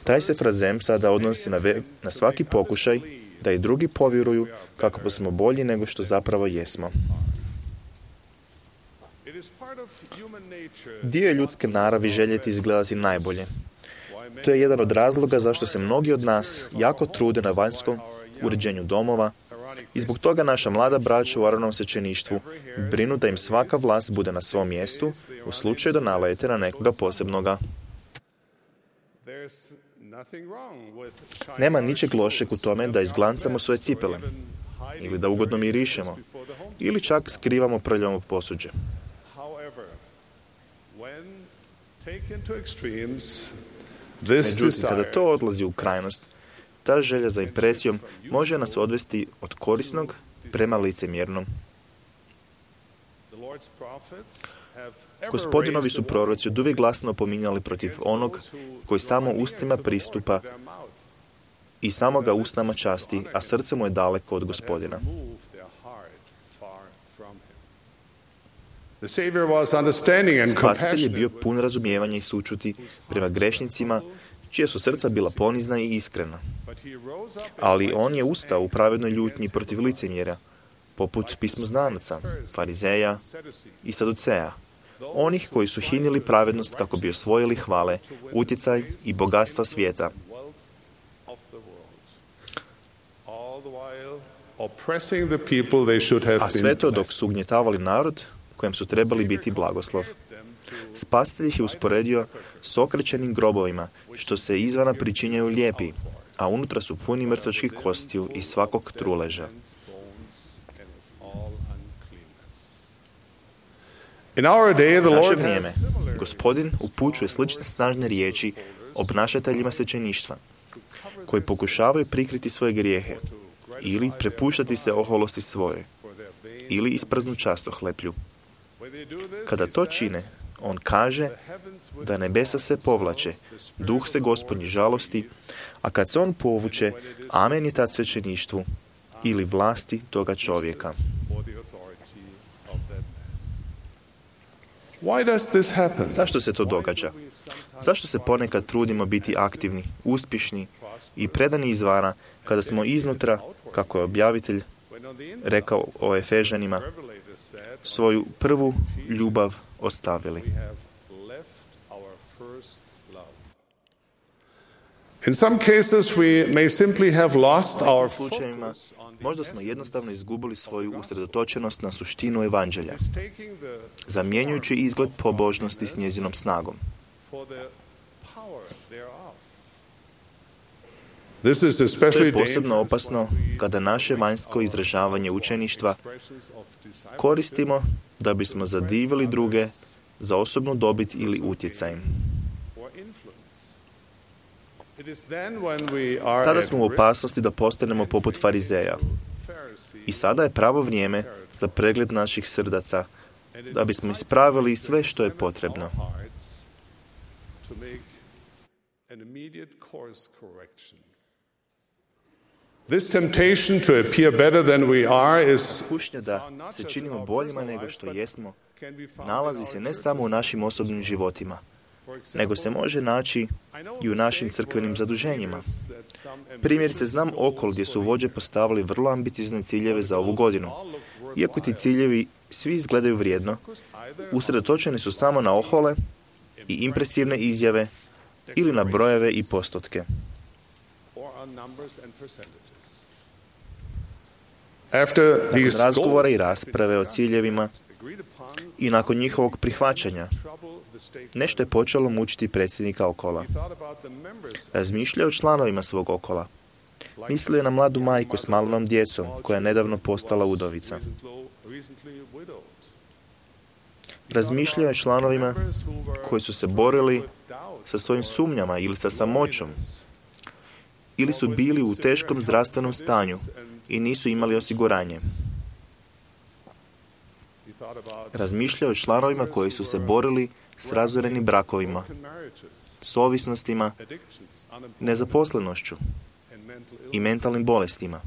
Taj se frazem sada odnosi na, ve- na svaki pokušaj da i drugi povjeruju kako smo bolji nego što zapravo jesmo. Dio je ljudske naravi željeti izgledati najbolje. To je jedan od razloga zašto se mnogi od nas jako trude na vanjskom uređenju domova i zbog toga naša mlada braća u Aronovom svećeništvu brinu da im svaka vlast bude na svom mjestu u slučaju da nalete na nekoga posebnoga. Nema ničeg lošeg u tome da izglancamo svoje cipele, ili da ugodno mirišemo, ili čak skrivamo prljavo posuđe. Međutim, kada to odlazi u krajnost, ta želja za impresijom može nas odvesti od korisnog prema licemjernom. Gospodinovi su proroci od uvijek glasno pominjali protiv onog koji samo ustima pristupa i samo ga usnama časti, a srce mu je daleko od Gospodina. Spasitelj je bio pun razumijevanja i sućuti prema grešnicima, čija su srca bila ponizna i iskrena. Ali on je ustao u pravednoj ljutnji protiv licemjera, poput pismoznanaca, farizeja i saduceja, onih koji su hinili pravednost kako bi osvojili hvale, utjecaj i bogatstva svijeta. A sve to dok su ugnjetavali narod kojem su trebali biti blagoslov. Spasitelj ih je usporedio s okrećenim grobovima, što se izvana pričinjaju lijepi, a unutra su puni mrtvačkih kostiju i svakog truleža. Naše vrijeme, Gospodin upućuje slične snažne riječi obnašateljima svećeništva, koji pokušavaju prikriti svoje grijehe, ili prepuštati se oholosti svoje, ili ispraznu častohleplju. Kada to čine, on kaže da nebesa se povlače, duh se Gospodnji žalosti, a kad se on povuče, amen je tad svećeništvu ili vlasti toga čovjeka. Zašto se to događa? Zašto se ponekad trudimo biti aktivni, uspješni i predani izvana, kada smo iznutra, kako je objavitelj rekao o Efežanima, svoju prvu ljubav ostavili? In some cases we may simply have lost our U slučajevima možda smo jednostavno izgubili svoju usredotočenost na suštinu evanđelja, zamjenjujući izgled pobožnosti s njezinom snagom. To je posebno opasno kada naše vanjsko izražavanje učeništva koristimo da bismo zadivili druge za osobnu dobit ili utjecaj. Tada smo u opasnosti da postanemo poput farizeja. I sada je pravo vrijeme za pregled naših srdaca, da bismo ispravili sve što je potrebno. This temptation to appear better than we are is Kušnja da se činimo boljima nego što jesmo nalazi se ne samo u našim osobnim životima, nego se može naći i u našim crkvenim zaduženjima. Primjerice, znam okolo gdje su vođe postavili vrlo ambiciozne ciljeve za ovu godinu. Iako ti ciljevi svi izgledaju vrijedno, usredotočeni su samo na ohole i impresivne izjave ili na brojeve i postotke. Nakon razgovora i rasprave o ciljevima i nakon njihovog prihvaćanja, nešto je počelo mučiti predsjednika okola. Razmišljao o članovima svog okola. Mislio je na mladu majku s malom djecom, koja je nedavno postala udovica. Razmišljao je o članovima koji su se borili sa svojim sumnjama ili sa samoćom, ili su bili u teškom zdravstvenom stanju i nisu imali osiguranje. Razmišljao je o članovima koji su se borili s razorenim brakovima, s ovisnostima, nezaposlenošću i mentalnim bolestima.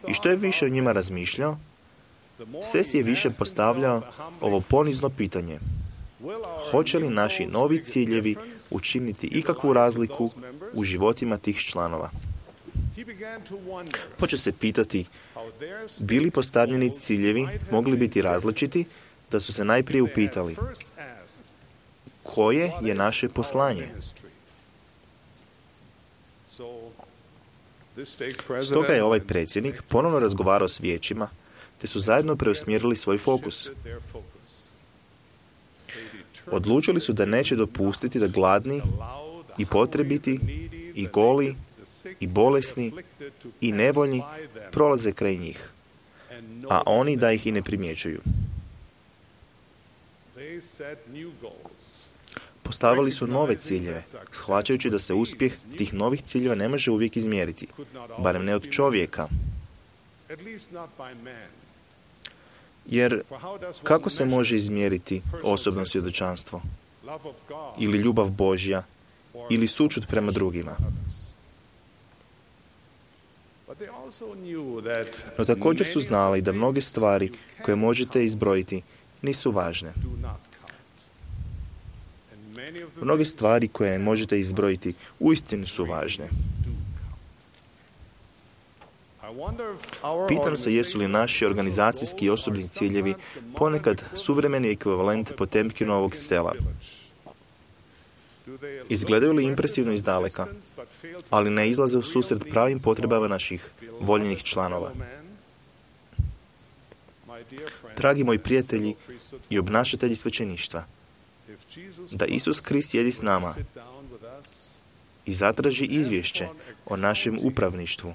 I što je više o njima razmišljao, sve si je više postavljao ovo ponizno pitanje. Hoće li naši novi ciljevi učiniti ikakvu razliku u životima tih članova? Počeo se pitati, bi li postavljeni ciljevi mogli biti različiti da su se najprije upitali koje je naše poslanje? Stoga je ovaj predsjednik ponovno razgovarao s vijećima, te su zajedno preusmjerili svoj fokus. Odlučili su da neće dopustiti da gladni i potrebiti i goli i bolesni i nevoljni prolaze kraj njih, a oni da ih i ne primjećuju. Postavili su nove ciljeve, shvaćajući da se uspjeh tih novih ciljeva ne može uvijek izmjeriti, barem ne od čovjeka. Jer kako se može izmjeriti osobno svjedočanstvo? Ili ljubav Božja? Ili sućut prema drugima? No također su znali da mnoge stvari koje možete izbrojiti nisu važne. Mnoge stvari koje možete izbrojiti uistinu su važne. Pitam se jesu li naši organizacijski i osobni ciljevi ponekad suvremeni ekvivalent Potemkinovog sela. Izgledaju li impresivno izdaleka, ali ne izlaze u susret pravim potrebama naših voljenih članova. Dragi moji prijatelji i obnašatelji svećeništva, da Isus Krist sjedi s nama i zatraži izvješće o našem upravništvu.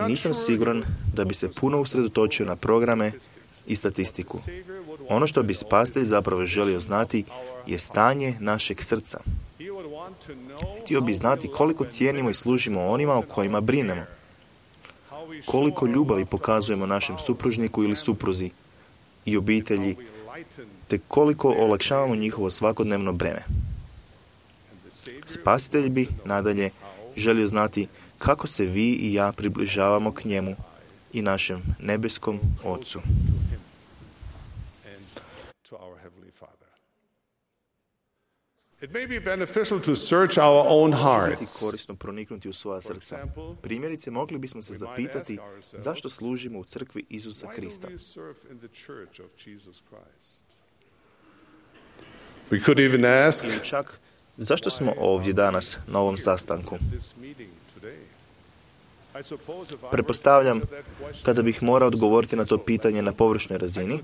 Nisam siguran da bi se puno usredotočio na programe i statistiku. Ono što bi spasitelj zapravo želio znati je stanje našeg srca. Htio bi znati koliko cijenimo i služimo onima o kojima brinemo. Koliko ljubavi pokazujemo našem supružniku ili supruzi i obitelji, te koliko olakšavamo njihovo svakodnevno breme. Spasitelj bi, nadalje, želio znati kako se vi i ja približavamo k njemu i našem nebeskom Ocu. It may be beneficial to search our own hearts. Biti korisno proniknuti u svoja srca. Primjerice, mogli bismo se zapitati zašto služimo u crkvi Isusa Krista. We could even ask, ili čak, zašto smo ovdje danas na ovom sastanku? Pretpostavljam, kada bih morao odgovoriti na to pitanje na površnoj razini,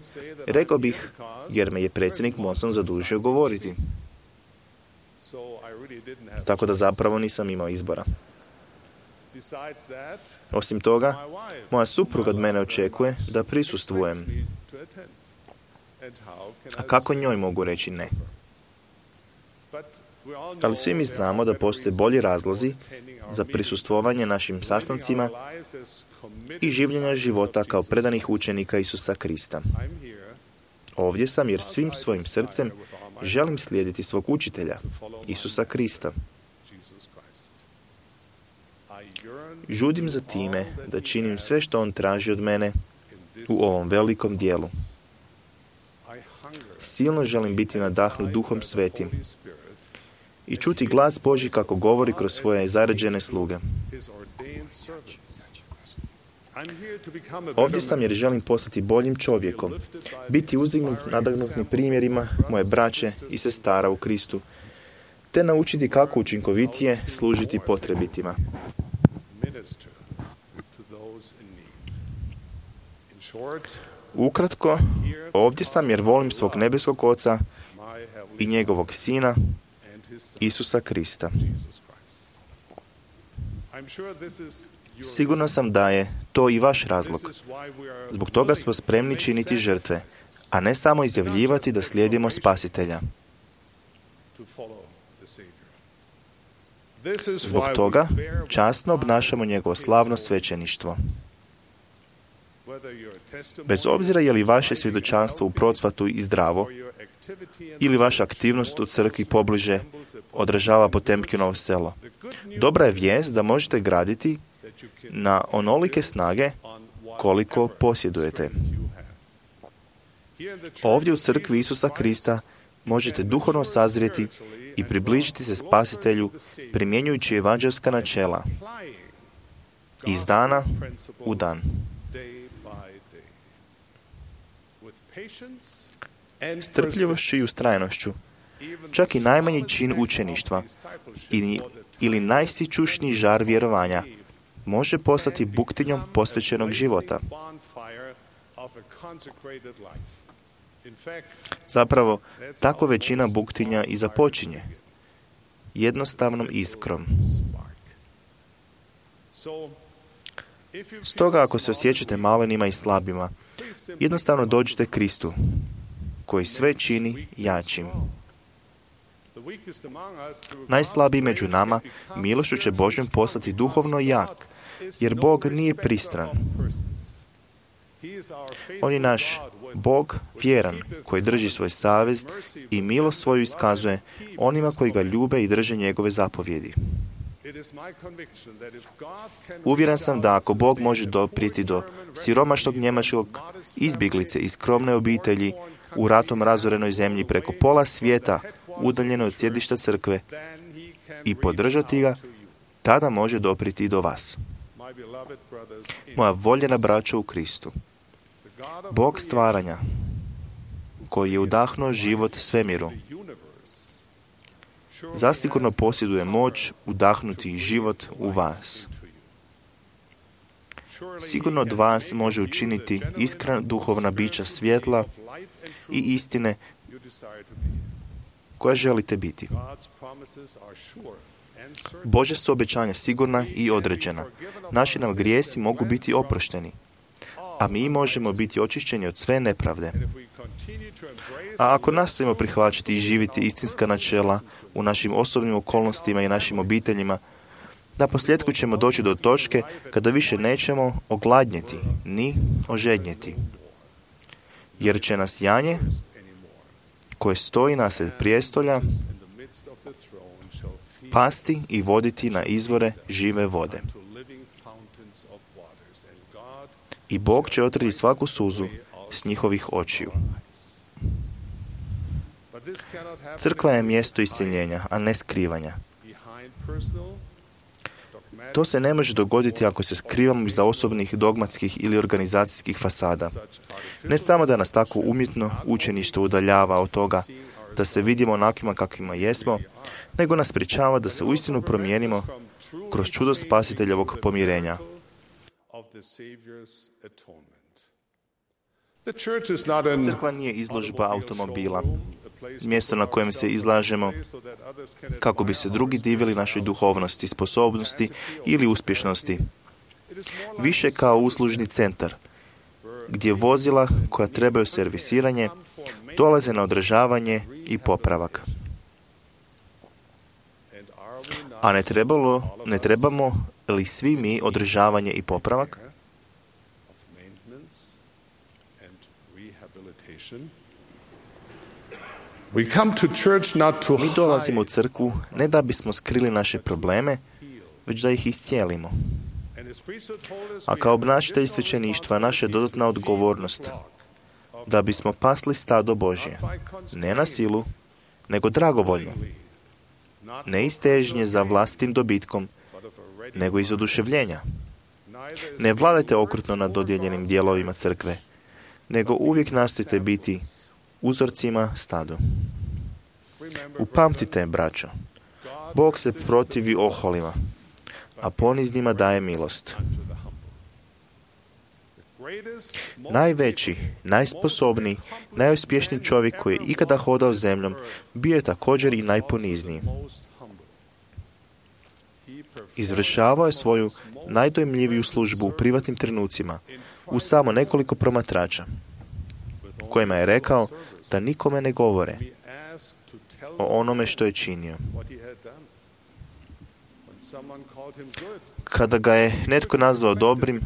rekao bih, jer me je predsjednik Monson zadužio govoriti. Tako da zapravo nisam imao izbora. Osim toga, moja supruga od mene očekuje da prisustvujem. A kako njoj mogu reći ne? Ali svi mi znamo da postoje bolji razlozi za prisustvovanje našim sastancima i življenja života kao predanih učenika Isusa Krista. Ovdje sam jer svim svojim srcem želim slijediti svog učitelja, Isusa Krista. Žudim za time da činim sve što on traži od mene u ovom velikom dijelu. Silno želim biti nadahnut Duhom Svetim i čuti glas Božji kako govori kroz svoje zaređene sluge. Ovdje sam jer želim postati boljim čovjekom, biti uzdignut nadahnutnim primjerima moje braće i sestara u Kristu, te naučiti kako učinkovitije služiti potrebitima. Ukratko, ovdje sam jer volim svog nebeskog Oca i njegovog Sina, Isusa Krista. Sigurno sam da je to i vaš razlog. Zbog toga smo spremni činiti žrtve, a ne samo izjavljivati da slijedimo Spasitelja. Zbog toga časno obnašamo njegovo slavno svećeništvo. Bez obzira je li vaše svjedočanstvo u procvatu i zdravo, ili vaša aktivnost u crkvi pobliže odražava Potemkinovo selo. Dobra je vijest da možete graditi na onolike snage koliko posjedujete. Ovdje u crkvi Isusa Krista možete duhovno sazrijeti i približiti se Spasitelju primjenjujući evanđelska načela iz dana u dan. Strpljivošću i ustrajnošću, čak i najmanji čin učeništva ili, ili najsičušniji žar vjerovanja može postati buktinjom posvećenog života. Zapravo, tako većina buktinja i započinje, jednostavnom iskrom. Stoga, ako se osjećate malenima i slabima, jednostavno dođite Kristu, koji sve čini jačim. Najslabiji među nama milošću će Božjom postati duhovno jak, jer Bog nije pristran. On je naš Bog vjeran, koji drži svoj savez i milost svoju iskazuje onima koji ga ljube i drže njegove zapovjedi. Uvjeren sam da ako Bog može doprijeti do siromašnog njemačkog izbjeglice iz skromne obitelji u ratom razorenoj zemlji preko pola svijeta, udaljeno od sjedišta crkve, i podržati ga, tada može doprijeti i do vas. Moja voljena braćo u Kristu, Bog stvaranja, koji je udahnuo život svemiru, zasigurno posjeduje moć udahnuti život u vas. Sigurno od vas može učiniti iskrena duhovna bića svjetla i istine koja želite biti. Božja su obećanja sigurna i određena. Naši nam grijesi mogu biti oprošteni, a mi možemo biti očišćeni od sve nepravde. A ako nastavimo prihvaćati i živjeti istinska načela u našim osobnim okolnostima i našim obiteljima, na posljedku ćemo doći do točke kada više nećemo ogladnjeti ni ožednjeti. Jer će nas janje koje stoji nasred prijestolja pasti i voditi na izvore žive vode. I Bog će otrati svaku suzu s njihovih očiju. Crkva je mjesto iseljenja, a ne skrivanja. To se ne može dogoditi ako se skrivamo iza osobnih, dogmatskih ili organizacijskih fasada. Ne samo da nas tako umjetno učeništvo udaljava od toga da se vidimo onakvima kakvima jesmo, nego nas sprječava da se uistinu promijenimo kroz čudo Spasiteljevog pomirenja. Crkva nije izložba automobila, mjesto na kojem se izlažemo kako bi se drugi divili našoj duhovnosti, sposobnosti ili uspješnosti. Više kao uslužni centar, gdje vozila koja trebaju servisiranje dolaze na održavanje i popravak. A ne, trebalo, ne trebamo li svi mi održavanje i popravak? We come to church not to Mi dolazimo u crkvu ne da bismo skrili naše probleme, već da ih iscijelimo. A kao obnašatelj svećeništva naša je dodatna odgovornost da bismo pasli stado Božje, ne na silu, nego dragovoljno, ne iz težnje za vlastitim dobitkom, nego iz oduševljenja. Ne vladajte okrutno nad dodijeljenim dijelovima crkve, nego uvijek nastojite biti uzorcima stadu. Upamtite, braćo, Bog se protivi oholima, a poniznima daje milost. Najveći, najsposobniji, najuspješniji čovjek koji je ikada hodao zemljom bio je također i najponizniji. Izvršavao je svoju najdojmljiviju službu u privatnim trenucima, uz samo nekoliko promatrača, kojima je rekao da nikome ne govore o onome što je činio. Kada ga je netko nazvao dobrim,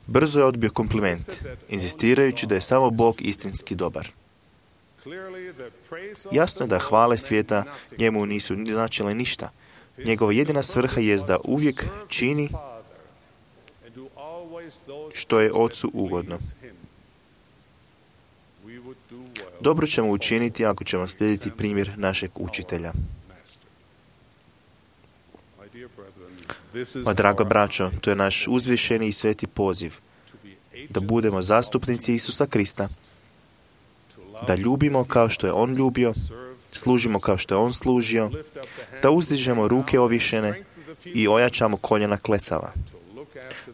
brzo je odbio kompliment, inzistirajući da je samo Bog istinski dobar. Jasno je da hvale svijeta njemu nisu značile ništa. Njegova jedina svrha jest da uvijek čini što je Ocu ugodno. Dobro ćemo učiniti ako ćemo slijediti primjer našeg učitelja. Ma draga braćo, to je naš uzvišeni i sveti poziv da budemo zastupnici Isusa Krista, da ljubimo kao što je On ljubio, služimo kao što je On služio, da uzdižemo ruke ovišene i ojačamo koljena klecava,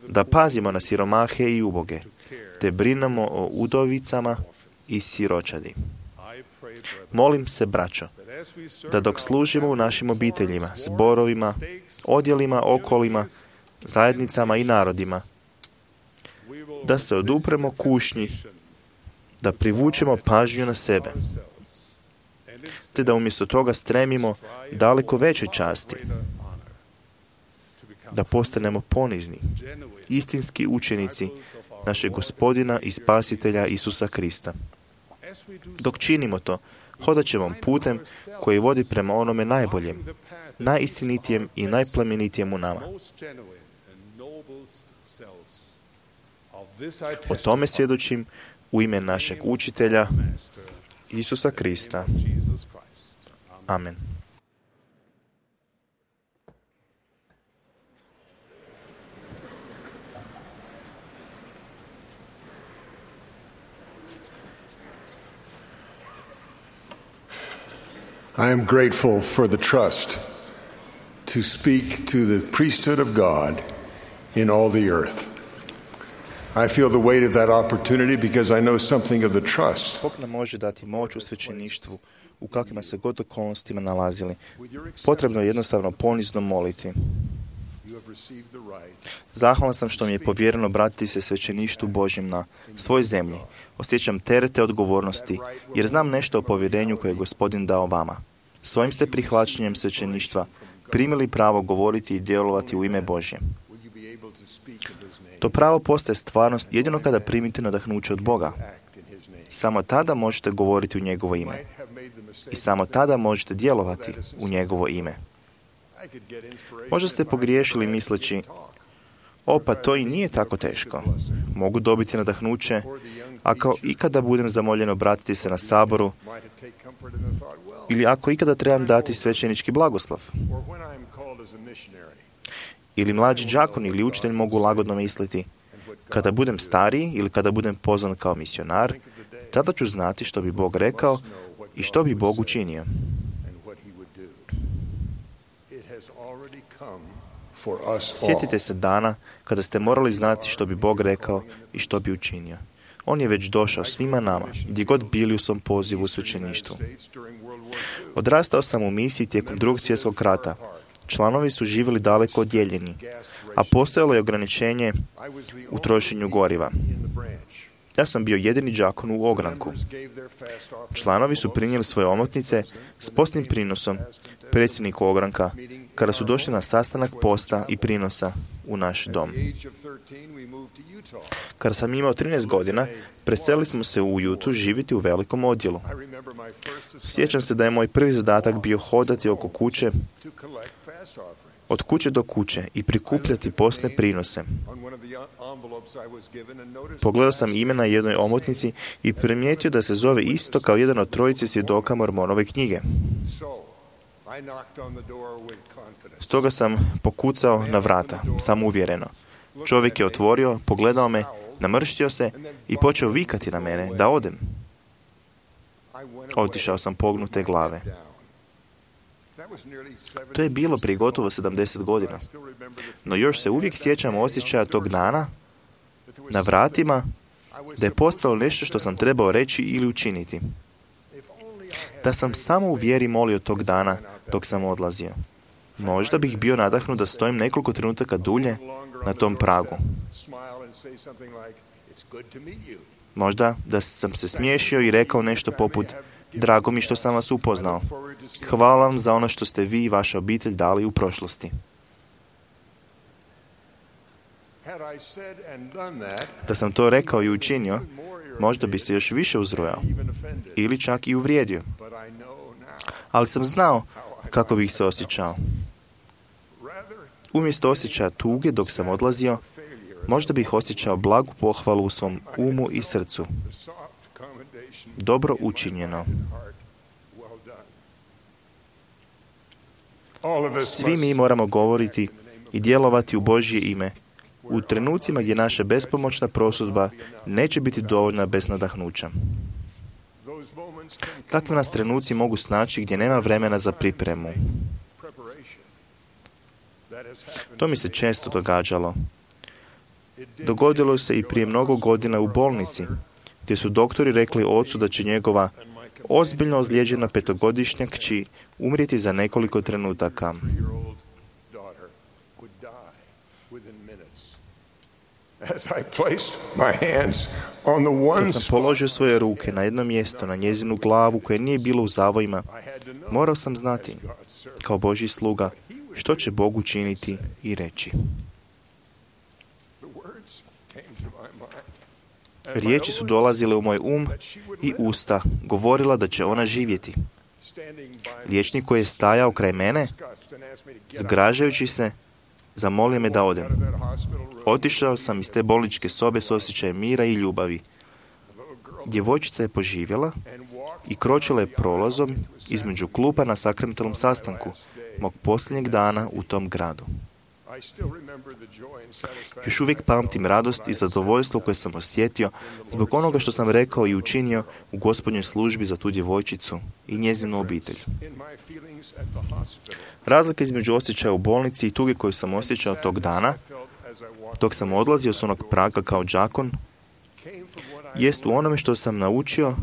da pazimo na siromahe i uboge, te brinemo o udovicama i siročadi. Molim se, braćo, da dok služimo u našim obiteljima, zborovima, odjelima, okolima, zajednicama i narodima, da se odupremo kušnji, da privučemo pažnju na sebe, te da umjesto toga stremimo daleko većoj časti, da postanemo ponizni, istinski učenici našeg Gospodina i Spasitelja Isusa Krista. Dok činimo to, hodat ćemo putem koji vodi prema onome najboljem, najistinitijem i najplemenitijem u nama. O tome svjedočim u ime našeg učitelja Isusa Krista. Amen. I am grateful for the trust to speak to the priesthood of God in all the earth. I feel the weight of that opportunity because I know something of the trust. Bog nam može dati moć u svećeništvu u kakvima se god okolnostima nalazili. Potrebno je jednostavno ponizno moliti. Zahvalan sam što mi je povjereno obratiti se svećeništvu Božjem na svoj zemlji. Osjećam terete odgovornosti, jer znam nešto o povjerenju koje je Gospodin dao vama. Svojim ste prihvaćanjem svećeništva primili pravo govoriti i djelovati u ime Božje. To pravo postaje stvarnost jedino kada primite nadahnuće od Boga. Samo tada možete govoriti u njegovo ime. I samo tada možete djelovati u njegovo ime. Možda ste pogriješili misleći, o pa to i nije tako teško. Mogu dobiti nadahnuće, ako ikada budem zamoljen obratiti se na saboru, ili ako ikada trebam dati svećenički blagoslov. Ili mlađi đakon ili učitelj mogu lagodno misliti, kada budem stariji ili kada budem pozvan kao misionar, tada ću znati što bi Bog rekao i što bi Bog učinio. Sjetite se dana kada ste morali znati što bi Bog rekao i što bi učinio. On je već došao svima nama, gdje god bili u svom pozivu u svećeništvu. Odrastao sam u misiji tijekom drugog svjetskog rata. Članovi su živjeli daleko odjeljeni, a postojalo je ograničenje u trošenju goriva. Ja sam bio jedini đakon u ogranku. Članovi su prinijeli svoje omotnice s postnim prinosom predsjedniku ogranka kada su došli na sastanak posta i prinosa u naš dom. Kada sam imao trinaest godina, preselili smo se u Utu živjeti u velikom odjelu. Sjećam se da je moj prvi zadatak bio hodati oko kuće od kuće do kuće i prikupljati postne prinose. Pogledao sam ime na jednoj omotnici i primijetio da se zove isto kao jedan od trojice svjedoka Mormonove knjige. Stoga sam pokucao na vrata, samouvjereno. Čovjek je otvorio, pogledao me, namrštio se i počeo vikati na mene da odem. Otišao sam pognute glave. To je bilo prije gotovo sedamdeset godina. No još se uvijek sjećam osjećaja tog dana na vratima da je postalo nešto što sam trebao reći ili učiniti. Da sam samo u vjeri molio tog dana dok sam odlazio. Možda bih bio nadahnut da stojim nekoliko trenutaka dulje na tom pragu. Možda da sam se smiješio i rekao nešto poput: drago mi što sam vas upoznao. Hvala vam za ono što ste vi i vaša obitelj dali u prošlosti. Da sam to rekao i učinio, možda bi se još više uzrujao ili čak i uvrijedio. Ali sam znao kako bih se osjećao. Umjesto osjećaja tuge dok sam odlazio, možda bih osjećao blagu pohvalu u svom umu i srcu. Dobro učinjeno. Svi mi moramo govoriti i djelovati u Božje ime u trenucima gdje naša bespomoćna prosudba neće biti dovoljna bez nadahnuća. Takvi nas trenuci mogu snaći gdje nema vremena za pripremu. To mi se često događalo. Dogodilo se i prije mnogo godina u bolnici, gdje su doktori rekli ocu da će njegova ozbiljno ozlijeđena petogodišnja kći umrijeti za nekoliko trenutaka. Kad sam položio svoje ruke na jedno mjesto, na njezinu glavu koje nije bilo u zavojima, morao sam znati, kao Božji sluga, što će Bog učiniti i reći. Riječi su dolazile u moj um i usta, govorila da će ona živjeti. Liječnik koji je stajao kraj mene, zgražajući se, zamolio me da odem. Otišao sam iz te bolničke sobe s osjećajem mira i ljubavi. Djevojčica je poživjela i kročila je prolazom između klupa na sakramentalnom sastanku mog posljednjeg dana u tom gradu. Još uvijek pamtim radost i zadovoljstvo koje sam osjetio zbog onoga što sam rekao i učinio u Gospodnjoj službi za tu djevojčicu i njezinu obitelj. Razlika između osjećaja u bolnici i tuge koju sam osjećao tog dana, dok sam odlazio s onog praga kao đakon, jest u onome što sam naučio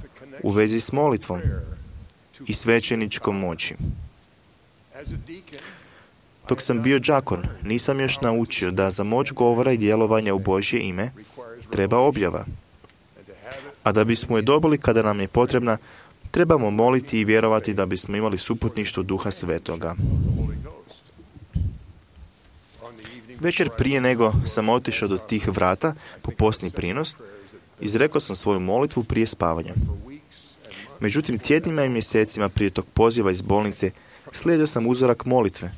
u vezi s molitvom i svećeničkom moći. Dok sam bio đakon, nisam još naučio da za moć govora i djelovanja u Božje ime treba objava. A da bismo je dobili kada nam je potrebna, trebamo moliti i vjerovati da bismo imali suputništvo Duha Svetoga. Večer prije nego sam otišao do tih vrata po postni prinos, izrekao sam svoju molitvu prije spavanja. Međutim, tjednima i mjesecima prije tog poziva iz bolnice slijedio sam uzorak molitve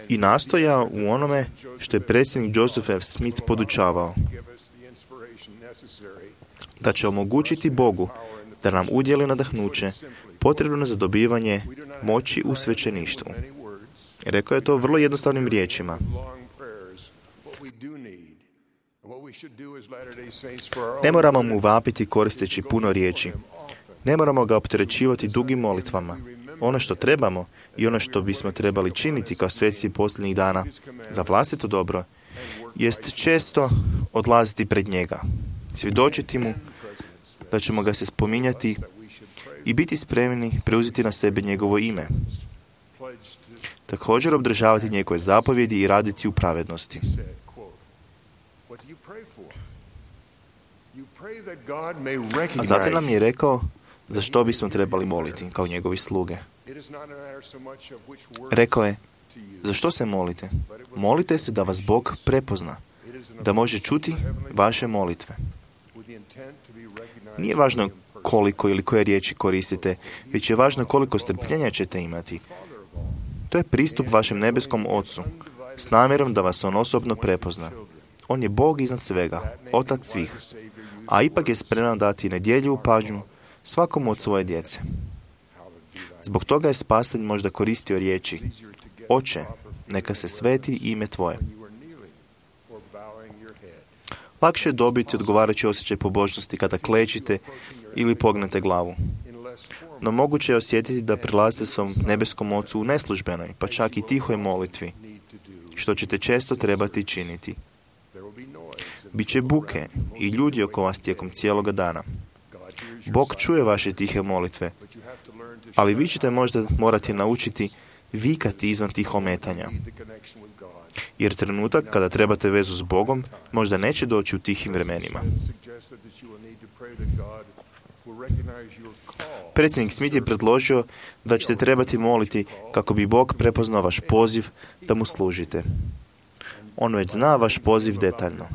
i nastojao u onome što je predsjednik Joseph F. Smith podučavao, da će omogućiti Bogu da nam udjeli nadahnuće potrebno za dobivanje moći u svećeništvu. Rekao je to vrlo jednostavnim riječima. Ne moramo mu vapiti koristeći puno riječi. Ne moramo ga opterećivati dugim molitvama. Ono što trebamo i ono što bismo trebali činiti kao sveci posljednjih dana za vlastito dobro, jest često odlaziti pred njega, svjedočiti mu da ćemo ga se spominjati i biti spremni preuzeti na sebe njegovo ime. Također obdržavati njegove zapovjedi i raditi u pravednosti. A zatim nam je rekao za što bismo trebali moliti kao njegovi sluge. Rekao je, za što se molite? Molite se da vas Bog prepozna, da može čuti vaše molitve. Nije važno koliko ili koje riječi koristite, već je važno koliko strpljenja ćete imati. To je pristup vašem nebeskom Ocu, s namjerom da vas on osobno prepozna. On je Bog iznad svega, Otac svih, a ipak je spreman dati nedjeljivu pažnju svakom od svoje djece. Zbog toga je spasitelj možda koristio riječi: Oče, neka se sveti ime tvoje. Lakše je dobiti odgovarajući osjećaj pobožnosti kada klečite ili pognete glavu. No moguće je osjetiti da prilazite svom nebeskom Ocu u neslužbenoj, pa čak i tihoj molitvi, što ćete često trebati činiti. Biće buke i ljudi oko vas tijekom cijeloga dana. Bog čuje vaše tihe molitve, ali vi ćete možda morati naučiti vikati izvan tih ometanja. Jer trenutak kada trebate vezu s Bogom možda neće doći u tihim vremenima. Predsjednik Smith je predložio da ćete trebati moliti kako bi Bog prepoznao vaš poziv da mu služite. On već zna vaš poziv detaljno.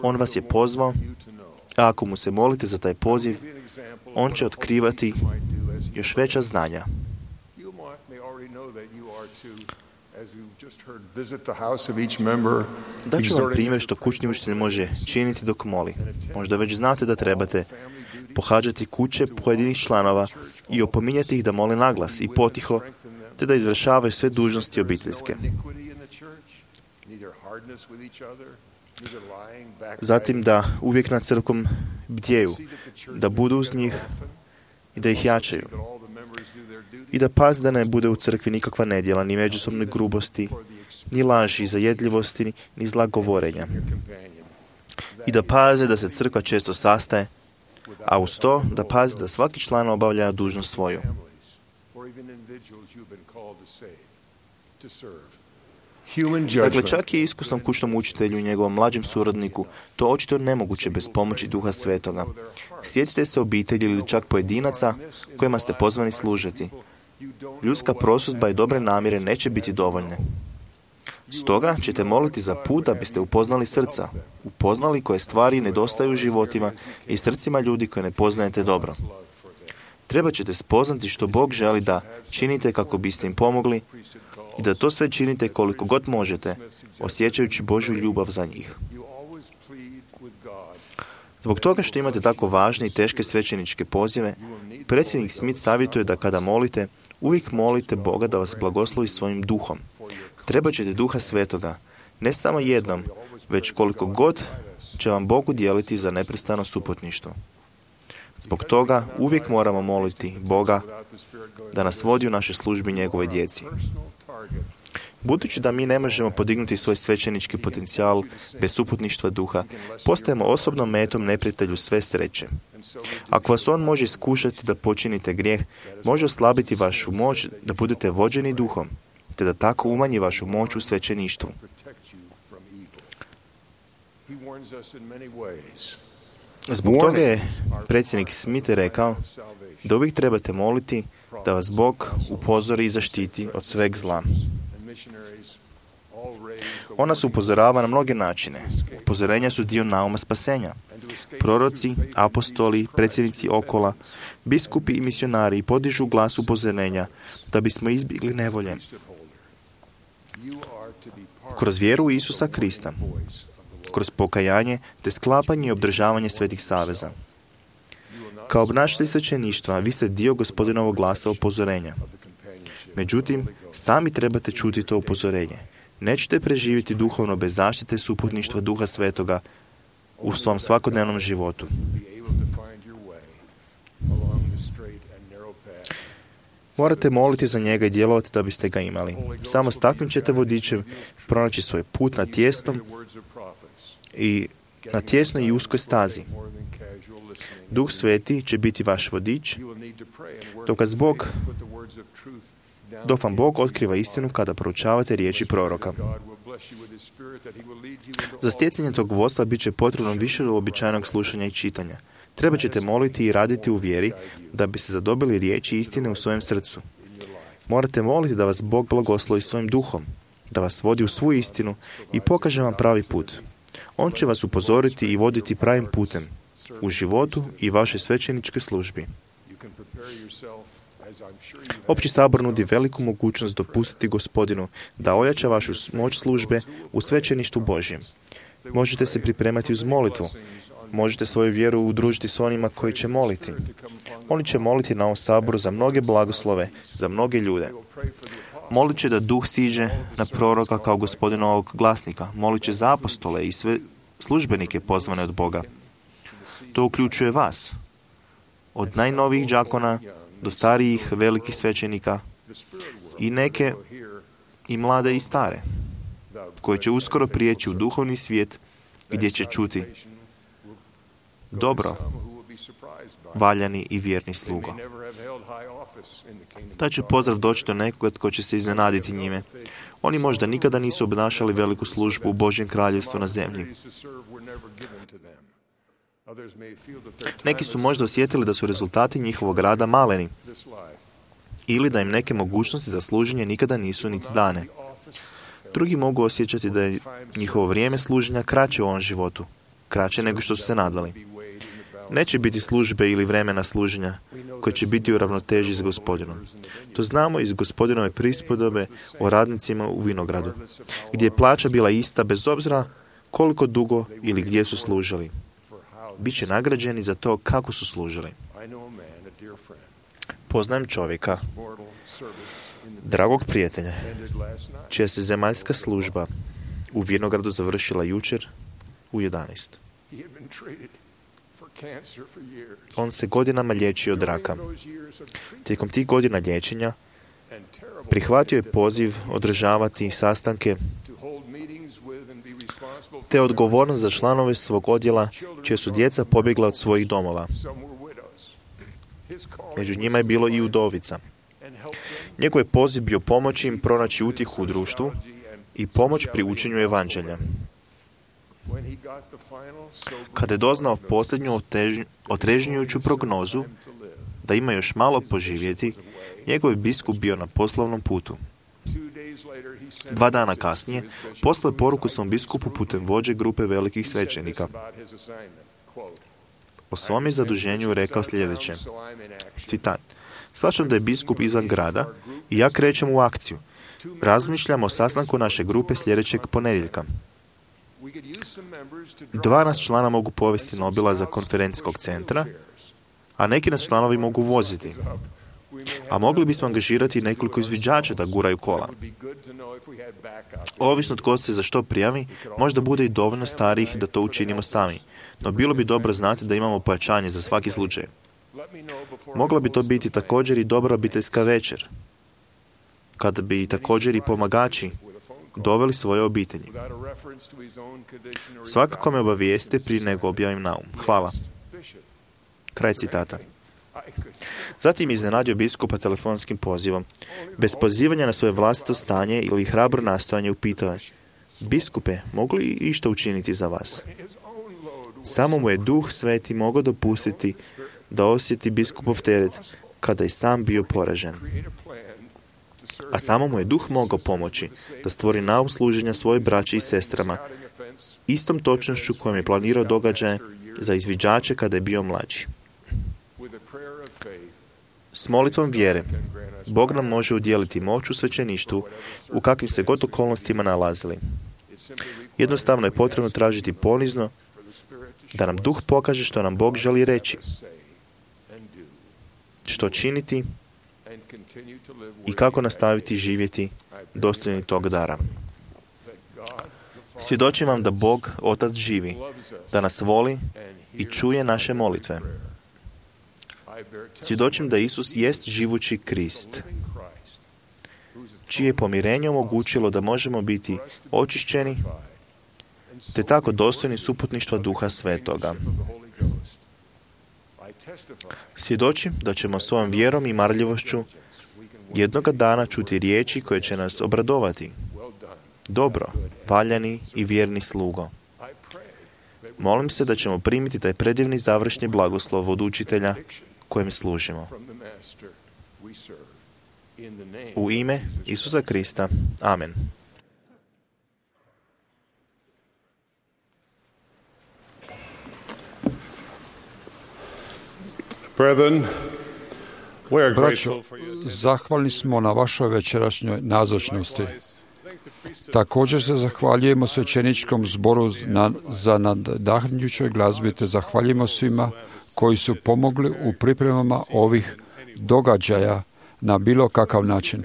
On vas je pozvao, a ako mu se molite za taj poziv, on će otkrivati još veća znanja. Daću vam primjer što kućni učitelj može činiti dok moli. Možda već znate da trebate pohađati kuće pojedinih članova i opominjati ih da moli naglas i potiho, te da izvršavaju sve dužnosti obiteljske. Zatim da uvijek nad crkvom bdjeju, da budu uz njih i da ih jačaju. I da pazi da ne bude u crkvi nikakva nedjela, ni međusobne grubosti, ni laži, zajedljivosti, ni zla govorenja. I da paze da se crkva često sastaje, a uz to da pazi da svaki član obavlja dužnost svoju. Dakle, čak i iskusnom kućnom učitelju i njegovom mlađem suradniku to očito nemoguće bez pomoći Duha Svetoga. Sjetite se obitelji ili čak pojedinaca kojima ste pozvani služiti. Ljudska prosudba i dobre namjere neće biti dovoljne. Stoga ćete moliti za put da biste upoznali srca, upoznali koje stvari nedostaju u životima i srcima ljudi koje ne poznajete dobro. Treba ćete spoznati što Bog želi da činite kako biste im pomogli i da to sve činite koliko god možete, osjećajući Božju ljubav za njih. Zbog toga što imate tako važne i teške svećeničke pozive, predsjednik Smith savjetuje da kada molite, uvijek molite Boga da vas blagoslovi svojim duhom. Treba ćete Duha Svetoga, ne samo jednom, već koliko god će vam Bog udijeliti za neprestano suputništvo. Zbog toga uvijek moramo moliti Boga da nas vodi u našoj službi njegove djeci. Budući da mi ne možemo podignuti svoj svećenički potencijal bez suputništva duha, postajemo osobnom metom neprijatelju sve sreće. Ako vas on može iskušati da počinite grijeh, može oslabiti vašu moć da budete vođeni duhom, te da tako umanji vašu moć u svećeništvu. Zbog toga je predsjednik Smith rekao da uvijek trebate moliti da vas Bog upozori i zaštiti od sveg zla. On nas upozorava na mnoge načine. Upozorenja su dio nauma spasenja. Proroci, apostoli, predsjednici okola, biskupi i misionari podižu glas upozorenja da bismo izbjegli nevolje. Kroz vjeru u Isusa Krista, kroz pokajanje te sklapanje i obdržavanje svetih saveza. Kao obnašatelj svećeništva, vi ste dio Gospodinovog glasa upozorenja. Međutim, sami trebate čuti to upozorenje. Nećete preživjeti duhovno bez zaštite suputništva Duha Svetoga u svom svakodnevnom životu. Morate moliti za njega i djelovati da biste ga imali. Samo s takvim ćete vodičem pronaći svoj put na tijesnom i na tjesnoj i uskoj stazi. Duh Sveti će biti vaš vodič, dok vas Bog, dok vam Bog otkriva istinu kada proučavate riječi proroka. Za stjecanje tog vodstva bit će potrebno više uobičajenog slušanja i čitanja. Treba ćete moliti i raditi u vjeri da biste zadobili riječi istine u svojem srcu. Morate moliti da vas Bog blagoslovi svojim duhom, da vas vodi u svu istinu i pokaže vam pravi put. On će vas upozoriti i voditi pravim putem u životu i vašoj svećeničkoj službi. Opći sabor nudi veliku mogućnost dopustiti Gospodinu da ojača vašu moć službe u svećeništvu Božjem. Možete se pripremati uz molitvu. Možete svoju vjeru udružiti s onima koji će moliti. Oni će moliti na ovom saboru za mnoge blagoslove, za mnoge ljude. Molit će da duh siđe na proroka kao Gospodinovog glasnika. Molit će za apostole i sve službenike pozvane od Boga. To uključuje vas. Od najnovijih đakona do starijih velikih svećenika i neke i mlade i stare, koji će uskoro prijeći u duhovni svijet gdje će čuti: dobro, valjani i vjerni slugo. Taj će pozdrav doći do nekoga tko će se iznenaditi njime. Oni možda nikada nisu obnašali veliku službu u Božjem kraljevstvu na zemlji. Neki su možda osjetili da su rezultati njihovog rada maleni ili da im neke mogućnosti za služenje nikada nisu niti dane. Drugi mogu osjećati da je njihovo vrijeme služenja kraće u ovom životu, kraće nego što su se nadali. Neće biti službe ili vremena služenja koje će biti u ravnoteži s Gospodinom. To znamo iz Gospodinove prispodobe o radnicima u vinogradu, gdje je plaća bila ista bez obzira koliko dugo ili gdje su služili. Biće nagrađeni za to kako su služili. Poznajem čovjeka, dragog prijatelja, čija se zemaljska služba u vinogradu završila jučer u jedanaest. On se godinama liječio od raka. Tijekom tih godina liječenja prihvatio je poziv održavati sastanke te odgovornost za članove svog odjela čija su djeca pobjegla od svojih domova. Među njima je bilo i udovica. Njegov je poziv bio pomoći im pronaći utjehu u društvu i pomoć pri učenju evanđelja. Kada je doznao posljednju otrežnjujuću prognozu da ima još malo poživjeti, njegov je biskup bio na poslovnom putu. Dva dana kasnije poslao je poruku svom biskupu putem vođe grupe velikih svećenika. O svom je zaduženju rekao sljedeće, citat: "Shvaćam da je biskup izvan grada i ja krećem u akciju. Razmišljam o sastanku naše grupe sljedećeg ponedjeljka. Dva nas člana mogu povesti na obilazak konferencijskog centra, a neki nas članovi mogu voziti. A mogli bismo angažirati nekoliko izviđača da guraju kola. Ovisno tko se za što prijavi, možda bude i dovoljno starijih da to učinimo sami, no bilo bi dobro znati da imamo pojačanje za svaki slučaj. Mogla bi to biti također i dobra obiteljska večer, kada bi također i pomagači doveli svoje obitelji. Svakako me obavijeste prije nego objavim naum. Hvala." Kraj citata. Zatim je iznenadio biskupa telefonskim pozivom. Bez pozivanja na svoje vlastito stanje ili hrabro nastojanje upitao je: "Biskupe, mogu li išta učiniti za vas?" Samo mu je Duh Sveti mogao dopustiti da osjeti biskupov teret kada je sam bio poražen. A samo mu je Duh mogao pomoći da stvori naum služenja svoje braći i sestrama, istom točnošću kojom je planirao događaje za izviđače kada je bio mlađi. S molitvom vjere, Bog nam može udjeliti moć u svećeništvu u kakvim se god okolnostima nalazili. Jednostavno je potrebno tražiti ponizno da nam Duh pokaže što nam Bog želi reći, što činiti i kako nastaviti živjeti dostojni tog dara. Svjedočim vam da Bog, Otac živi, da nas voli i čuje naše molitve. Svjedočim da Isus jest živući Krist, čije je pomirenje omogućilo da možemo biti očišćeni, te tako dostojni suputništva Duha Svetoga. Svjedočim da ćemo svojom vjerom i marljivošću jednoga dana čuti riječi koje će nas obradovati. Dobro, valjani i vjerni slugo. Molim se da ćemo primiti taj predivni završni blagoslov od učitelja kojem služimo. U ime Isusa Krista. Amen. Brethren, Braćo, zahvalni smo na vašoj večerašnjoj nazočnosti. Također se zahvaljujemo svećeničkom zboru na, za nadahnjućoj glazbi, te zahvaljujemo svima koji su pomogli u pripremama ovih događaja na bilo kakav način.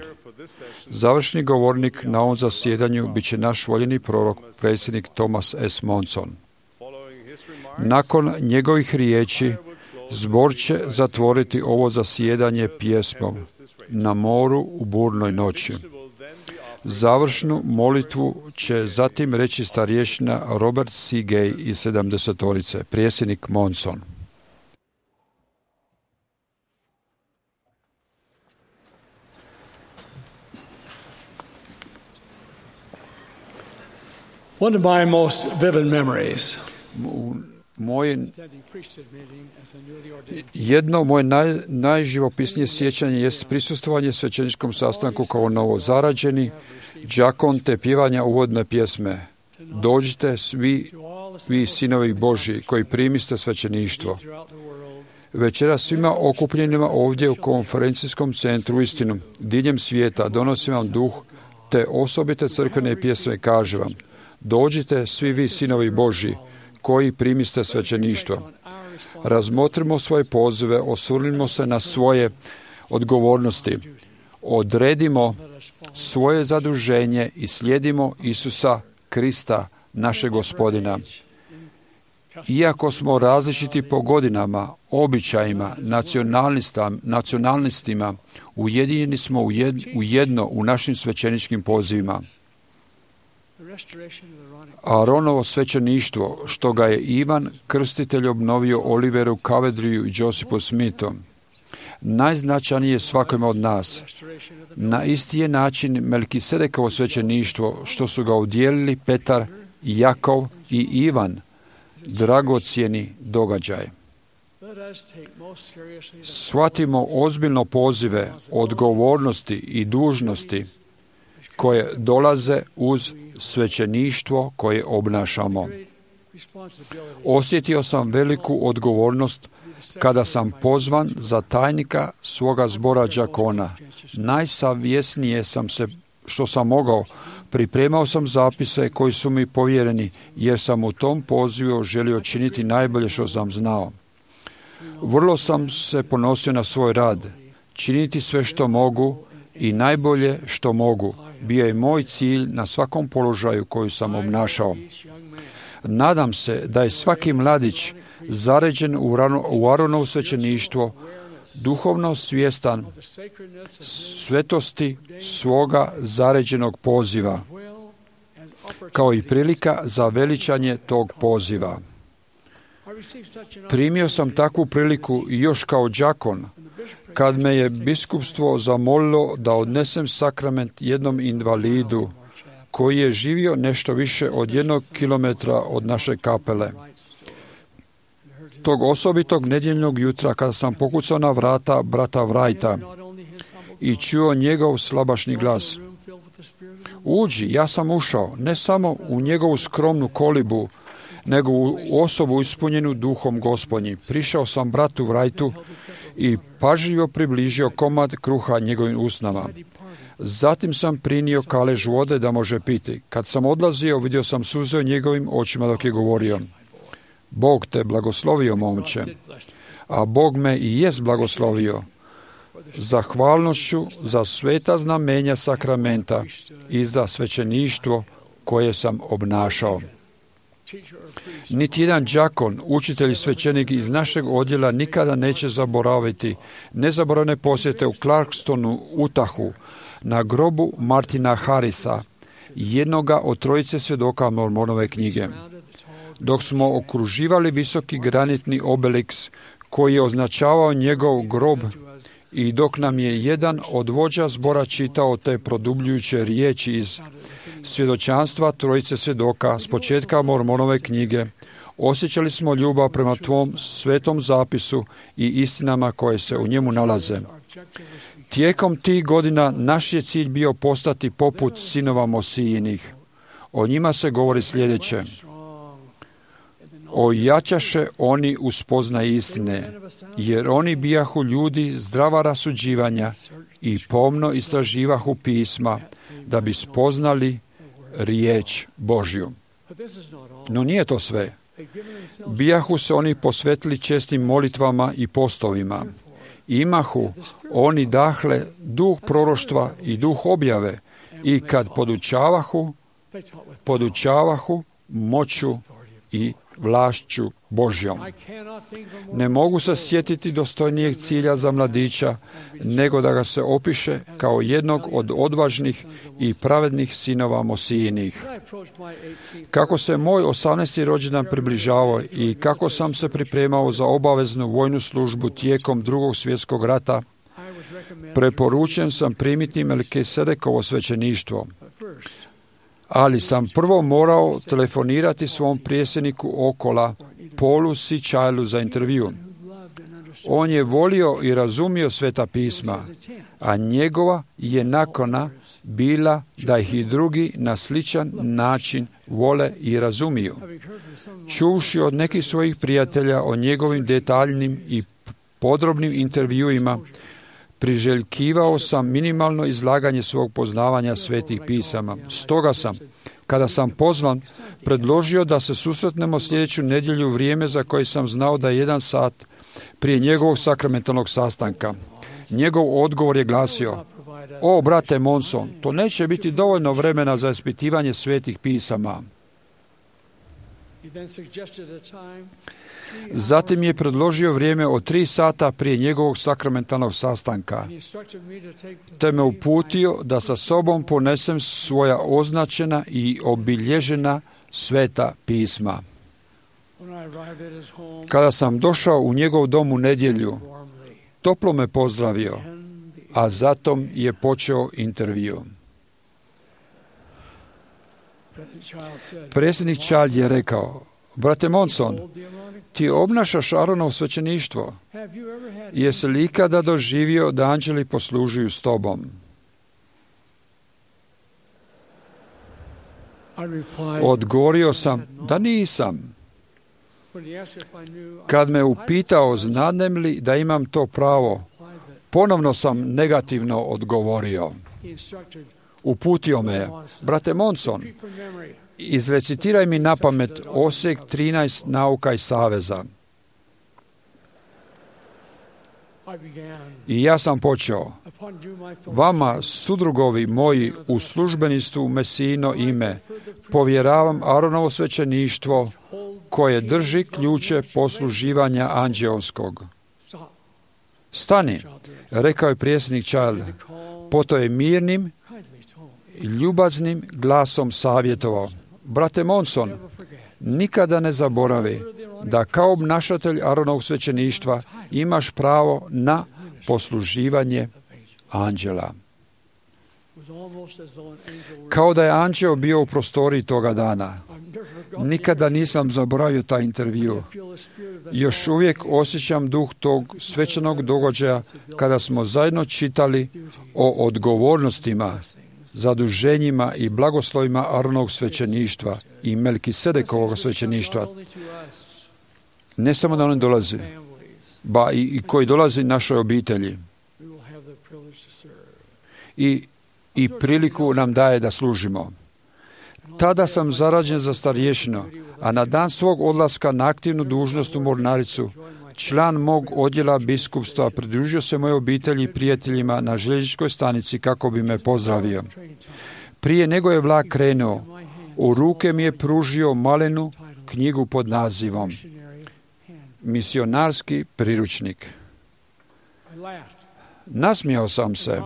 Završni govornik na ovom zasjedanju bit će naš voljeni prorok, predsjednik Thomas S. Monson. Nakon njegovih riječi, zbor će zatvoriti ovo zasjedanje pjesmom Na moru u burnoj noći. Završnu molitvu će zatim reći starješina Robert C. Gay iz sedamdesetorice, predsjednik Monson. One of my most vivid memories. Moje, jedno moje naj, najživopisnije sjećanje jest prisustvovanje svećeničkom sastanku kao novozarađeni đakon te pjevanja uvodne pjesme. Dođite svi vi sinovi Božji koji primiste svećeništvo. Večera svima okupljenima ovdje u konferencijskom centru istinu diljem svijeta donosim vam duh te osobite crkvene pjesme kaže vam. Dođite svi vi sinovi Božji koji primiste svećeništvo. Razmotrimo svoje pozive, osvrnimo se na svoje odgovornosti. Odredimo svoje zaduženje i slijedimo Isusa Krista, našeg Gospodina. Iako smo različiti po godinama, običajima, nacionalnostima, ujedinjeni smo u jedno u našim svećeničkim pozivima. Aaronovo svećeništvo, što ga je Ivan Krstitelj obnovio Oliveru Cowderyju i Josephu Smithu, najznačajnije svakome od nas. Na isti je način Melkisedekovo svećeništvo, što su ga udjelili Petar, Jakov i Ivan, dragocjeni događaj. Shvatimo ozbiljno pozive, odgovornosti i dužnosti koje dolaze uz svećeništvo koje obnašamo. Osjetio sam veliku odgovornost kada sam pozvan za tajnika svoga zbora đakona. Najsavjesnije sam se što sam mogao. Pripremao sam zapise koji su mi povjereni, jer sam u tom pozivu želio činiti najbolje što sam znao. Vrlo sam se ponosio na svoj rad, činiti sve što mogu i najbolje što mogu. Bio je moj cilj na svakom položaju koji sam obnašao. Nadam se da je svaki mladić zaređen u Aaronovo svećeništvo, duhovno svjestan svetosti svoga zaređenog poziva, kao i prilika za veličanje tog poziva. Primio sam takvu priliku i još kao đakon, kad me je biskupstvo zamolilo da odnesem sakrament jednom invalidu koji je živio nešto više od jednog kilometra od naše kapele. Tog osobitog nedjeljnog jutra kada sam pokucao na vrata brata Wrighta i čuo njegov slabašni glas. Uđi, ja sam ušao, ne samo u njegovu skromnu kolibu, nego u osobu ispunjenu duhom Gospodnji. Prišao sam bratu Wrightu i pažljivo približio komad kruha njegovim usnama. Zatim sam prinio kalež vode da može piti. Kad sam odlazio, vidio sam suze u njegovim očima dok je govorio. Bog te blagoslovio, momče, a Bog me i jest blagoslovio zahvalnošću za sveta znamenja sakramenta i za svećeništvo koje sam obnašao. Niti jedan đakon, učitelj i svećenik iz našeg odjela nikada neće zaboraviti nezaboravne posjete u Clarkstonu, Utahu, na grobu Martina Harrisa, jednoga od trojice svjedoka Mormonove knjige. Dok smo okruživali visoki granitni obeliks koji je označavao njegov grob i dok nam je jedan od vođa zbora čitao te produbljujuće riječi iz svjedočanstva trojice svjedoka s početka Mormonove knjige, osjećali smo ljubav prema tvom svetom zapisu i istinama koje se u njemu nalaze. Tijekom tih godina naš je cilj bio postati poput sinova Mosijinih. O njima se govori sljedeće. ojačaše oni u spoznaji istine, jer oni bijahu ljudi zdrava rasuđivanja i pomno istraživahu pisma, da bi spoznali riječ Božju. No nije to sve. Bijahu se oni posvetili čestim molitvama i postovima. Imahu oni dahle duh proroštva i duh objave, i kad podučavahu, podučavahu moću i vlašću Božjom. Ne mogu se sjetiti dostojnijeg cilja za mladića, nego da ga se opiše kao jednog od odvažnih i pravednih sinova Mosijinih. Kako se moj osamnaesti rođendan približavao i kako sam se pripremao za obaveznu vojnu službu tijekom drugog svjetskog rata, preporučen sam primiti Melkisedekovo svećeništvo. Ali sam prvo morao telefonirati svom prijesedniku Okola, Paulu C. Childu, za intervju. On je volio i razumio Sveta pisma, a njegova je nakana bila da ih i drugi na sličan način vole i razumiju. Čuvši od nekih svojih prijatelja o njegovim detaljnim i podrobnim intervjuima, priželjkivao sam minimalno izlaganje svog poznavanja svetih pisama. Stoga sam, kada sam pozvan, predložio da se susretnemo sljedeću nedjelju u vrijeme za koje sam znao da je jedan sat prije njegovog sakramentalnog sastanka. Njegov odgovor je glasio: o, brate Monson, to neće biti dovoljno vremena za ispitivanje svetih pisama. Zatim je predložio vrijeme od tri sata prije njegovog sakramentalnog sastanka, te me uputio da sa sobom ponesem svoja označena i obilježena sveta pisma. Kada sam došao u njegov dom u nedjelju, toplo me pozdravio, a zatom je počeo intervju. Predsjednik Child je rekao: brate Monson, ti obnašaš Aaronovo svećeništvo. Jesi li ikada doživio da anđeli poslužuju s tobom? Odgovorio sam da nisam. Kad me upitao znadem li da imam to pravo, ponovno sam negativno odgovorio. Uputio me je: brate Monson, izrecitiraj mi na pamet osjek trinaest nauka i saveza. I ja sam počeo: vama, sudrugovi moji, u službenistvu Mesijino ime, povjeravam Aaronovo svećeništvo koje drži ključe posluživanja anđeoskog. Stani, rekao je prijesnik Child. Poto je mirnim, ljubaznim glasom savjetovao: brate Monson, nikada ne zaboravi da kao obnašatelj Aaronovog svećeništva imaš pravo na posluživanje anđela. Kao da je anđeo bio u prostoriji toga dana. Nikada nisam zaboravio taj intervju. Još uvijek osjećam duh tog svečanog događaja kada smo zajedno čitali o odgovornostima, zaduženjima i blagoslovima Aaronovog svećeništva i Melkisedekovog svećeništva. Ne samo da on dolazi, ba i, i koji dolazi našoj obitelji. I, i priliku nam daje da služimo. Tada sam zarađen za starješinu, a na dan svog odlaska na aktivnu dužnost u mornaricu, član mog odjela biskupstva pridružio se mojoj obitelji i prijateljima na željezničkoj stanici kako bi me pozdravio. Prije nego je vlak krenuo, u ruke mi je pružio malenu knjigu pod nazivom Misionarski priručnik. Nasmijao sam se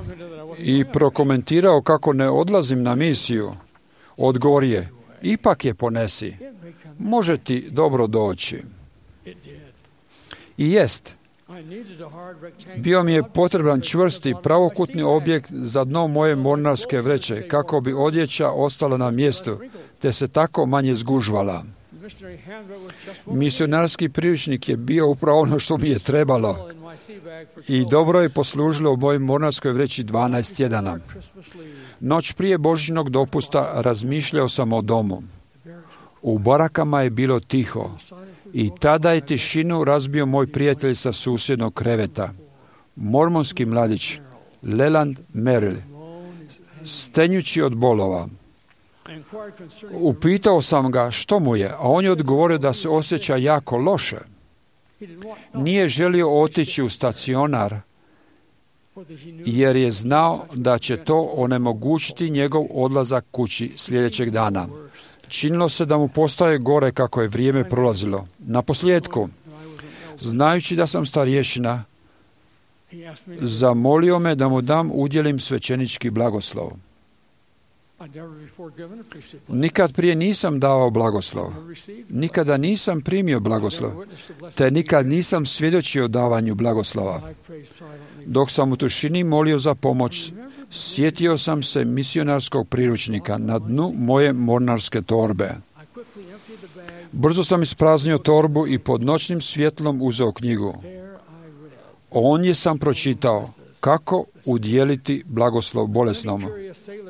i prokomentirao kako ne odlazim na misiju. Odgovor je: ipak je ponesi, može ti dobro doći. I jest. Bio mi je potreban čvrsti pravokutni objekt za dno moje mornarske vreće, kako bi odjeća ostala na mjestu, te se tako manje zgužvala. Misionarski priručnik je bio upravo ono što mi je trebalo i dobro je poslužilo u mojoj mornarskoj vreći dvanaest tjedana. Noć prije Božjnog dopusta razmišljao sam o domu. U barakama je bilo tiho i tada je tišinu razbio moj prijatelj sa susjednog kreveta, mormonski mladić Leland Merrill, stenjući od bolova. Upitao sam ga što mu je, a on je odgovorio da se osjeća jako loše. Nije želio otići u stacionar, jer je znao da će to onemogućiti njegov odlazak kući sljedećeg dana. Činilo se da mu postaje gore kako je vrijeme prolazilo. Na posljedku, znajući da sam starješina, zamolio me da mu dam udjelim svećenički blagoslov. Nikad prije nisam davao blagoslov. Nikada nisam primio blagoslov. Te nikad nisam svjedočio davanju blagoslova. Dok sam u tišini molio za pomoć, sjetio sam se misionarskog priručnika na dnu moje mornarske torbe. Brzo sam ispraznio torbu i pod noćnim svjetlom uzeo knjigu. Ondje sam pročitao kako udjeliti blagoslov bolesnom.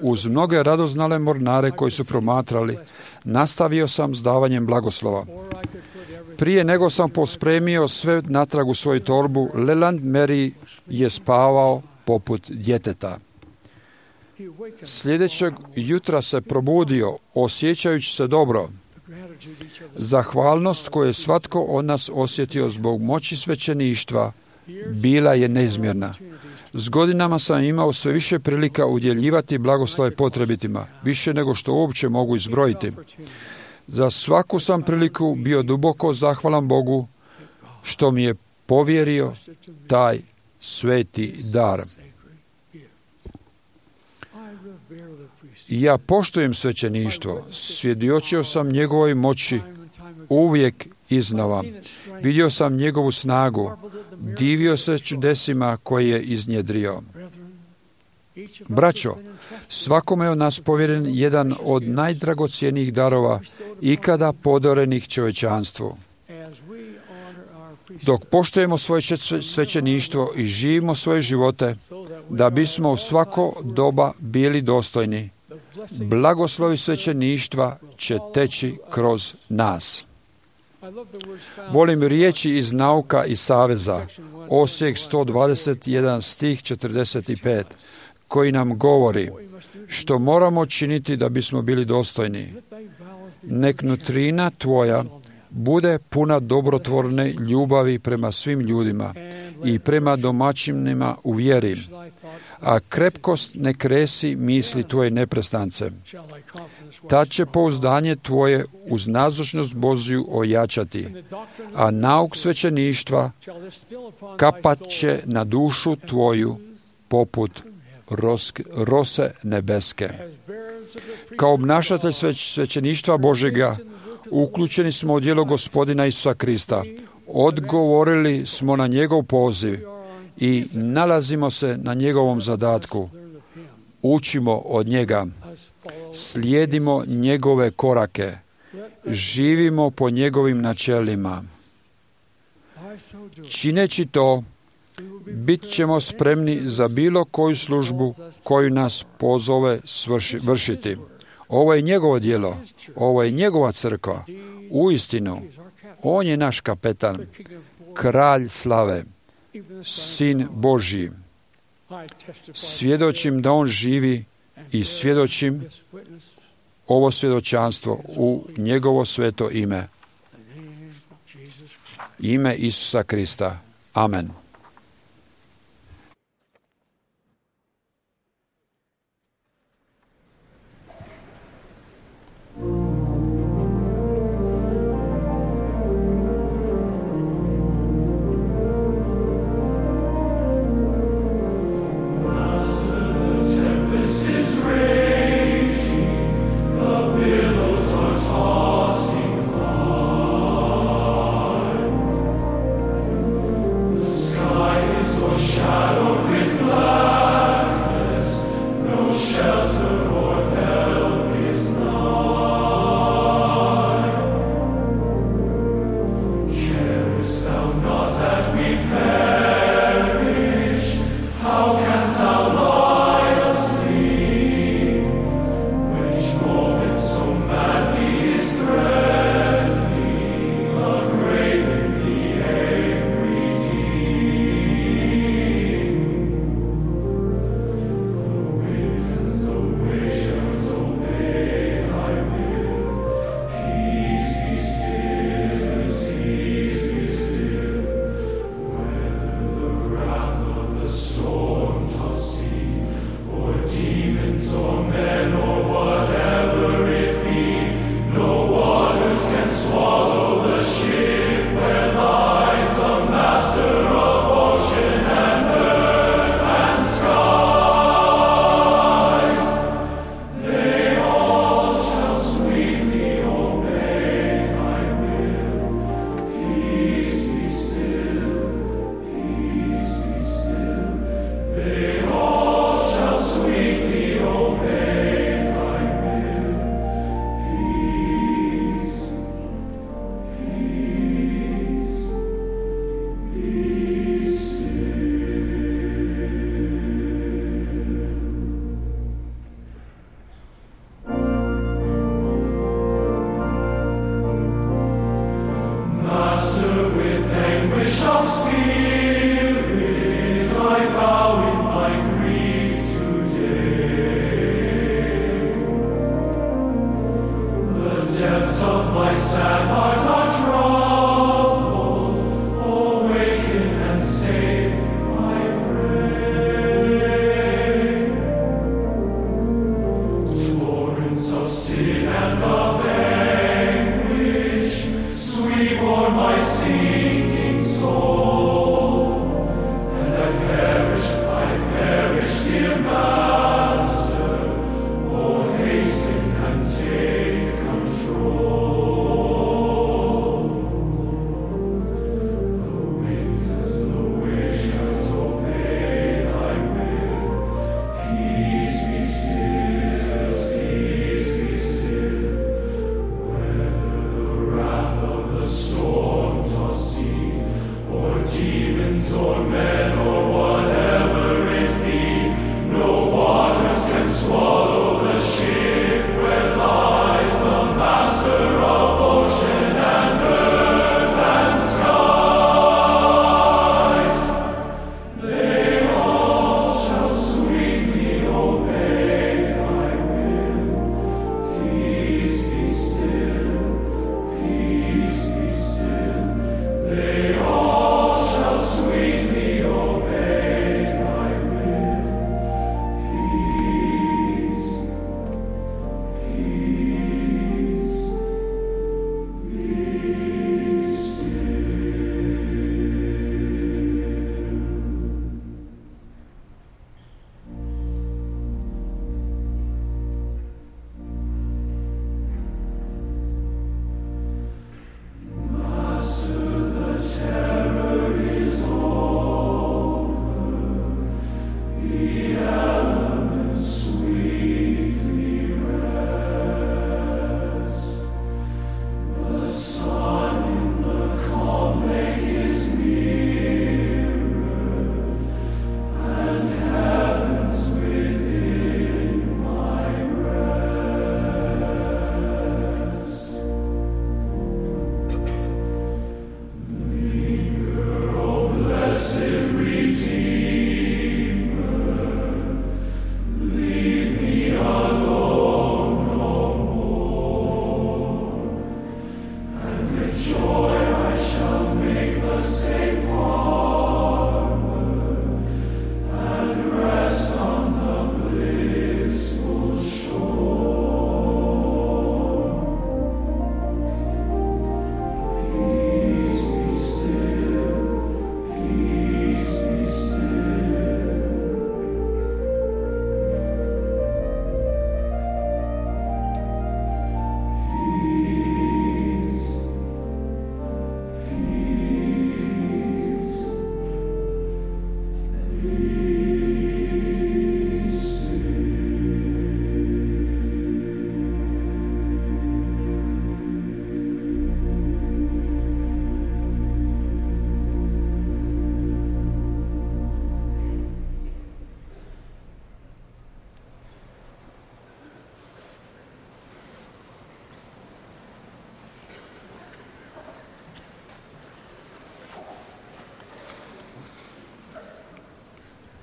Uz mnoge radoznale mornare koji su promatrali, nastavio sam s davanjem blagoslova. Prije nego sam pospremio sve natrag u svoju torbu, Leland Mary je spavao poput djeteta. Sljedećeg jutra se probudio, osjećajući se dobro. Zahvalnost koju je svatko od nas osjetio zbog moći svećeništva bila je neizmjerna. S godinama sam imao sve više prilika udjeljivati blagoslove potrebitima, više nego što uopće mogu izbrojiti. Za svaku sam priliku bio duboko zahvalan Bogu što mi je povjerio taj sveti dar. Ja poštujem svećeništvo, svjedočio sam njegovoj moći uvijek iznova. Vidio sam njegovu snagu, divio se čudesima koje je iznjedrio. Braćo, svakome od nas povjeren jedan od najdragocjenijih darova ikada podarenih čovječanstvu. Dok poštujemo svoje svećeništvo i živimo svoje živote, da bismo u svako doba bili dostojni, blagoslovi svećeništva će teći kroz nas. Volim riječi iz Nauka i saveza, Osijek sto dvadeset jedan stih četrdeset pet, koji nam govori što moramo činiti da bismo bili dostojni. Nek nutrina tvoja bude puna dobrotvorne ljubavi prema svim ljudima i prema domaćinima u vjeri, a krepkost ne kresi misli tvoje neprestance. Tad će pouzdanje tvoje uz nazočnost Božju ojačati, a nauk svećeništva kapat će na dušu tvoju poput roske, rose nebeske. Kao obnašatelj svećeništva Božega uključeni smo u djelo Gospodina Isusa Krista. Odgovorili smo na njegov poziv i nalazimo se na njegovom zadatku. Učimo od njega, slijedimo njegove korake, živimo po njegovim načelima. Čineći to, bit ćemo spremni za bilo koju službu koju nas pozove svrši, vršiti. Ovo je njegovo djelo, ovo je njegova crkva. Uistinu, on je naš kapetan, kralj slave, sin Božji. Svjedočim da on živi i svjedočim ovo svjedočanstvo u njegovo sveto ime. Ime Isusa Krista. Amen. Sky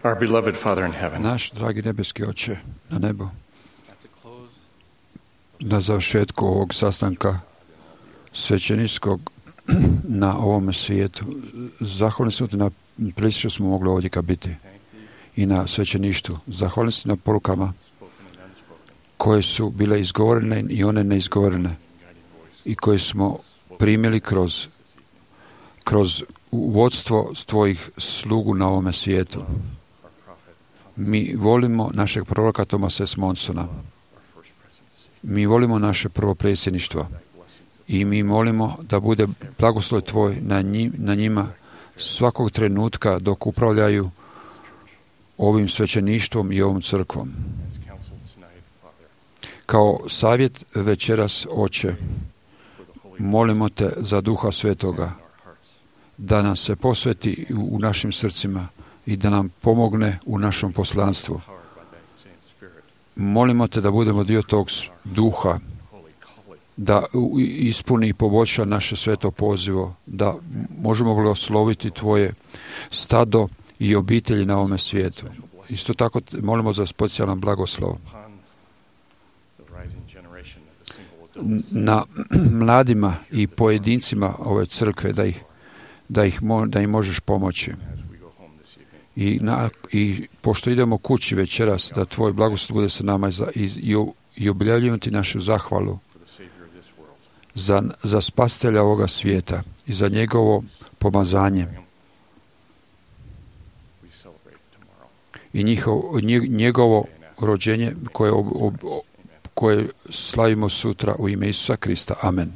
Our beloved Father in heaven. Naš dragi nebeski Oče na nebu, na završetku ovog sastanka svećeničkog na ovome svijetu, zahvalni smo ti na prilici što smo mogli ovdje ka biti i na svećeništvu. Zahvalni smo na porukama koje su bile izgovorene i one neizgovorene i koje smo primili kroz, kroz vodstvo tvojih slugu na ovome svijetu. Mi volimo našeg proroka Thomasa S. Monsona. Mi volimo naše prvo predsjedništvo i mi molimo da bude blagoslov tvoj na, njim, na njima svakog trenutka dok upravljaju ovim svećeništvom i ovom crkvom. Kao savjet večeras, Oče, molimo te za Duha Svetoga da nam se posveti u našim srcima i da nam pomogne u našem poslanstvu. Molimo te da budemo dio tog duha, da ispuni i poboljša naše sveto pozivo, da možemo blagosloviti tvoje stado i obitelji na ovome svijetu. Isto tako molimo za specijalan blagoslov na mladima i pojedincima ove crkve, da ih, da ih da im možeš pomoći. I, na, I pošto idemo kući večeras, da tvoj blagoslov bude sa nama i, i, i objavljujemo ti našu zahvalu za, za spasitelja ovoga svijeta i za njegovo pomazanje i njihov, njegovo rođenje koje, ob, ob, koje slavimo sutra u ime Isusa Krista. Amen.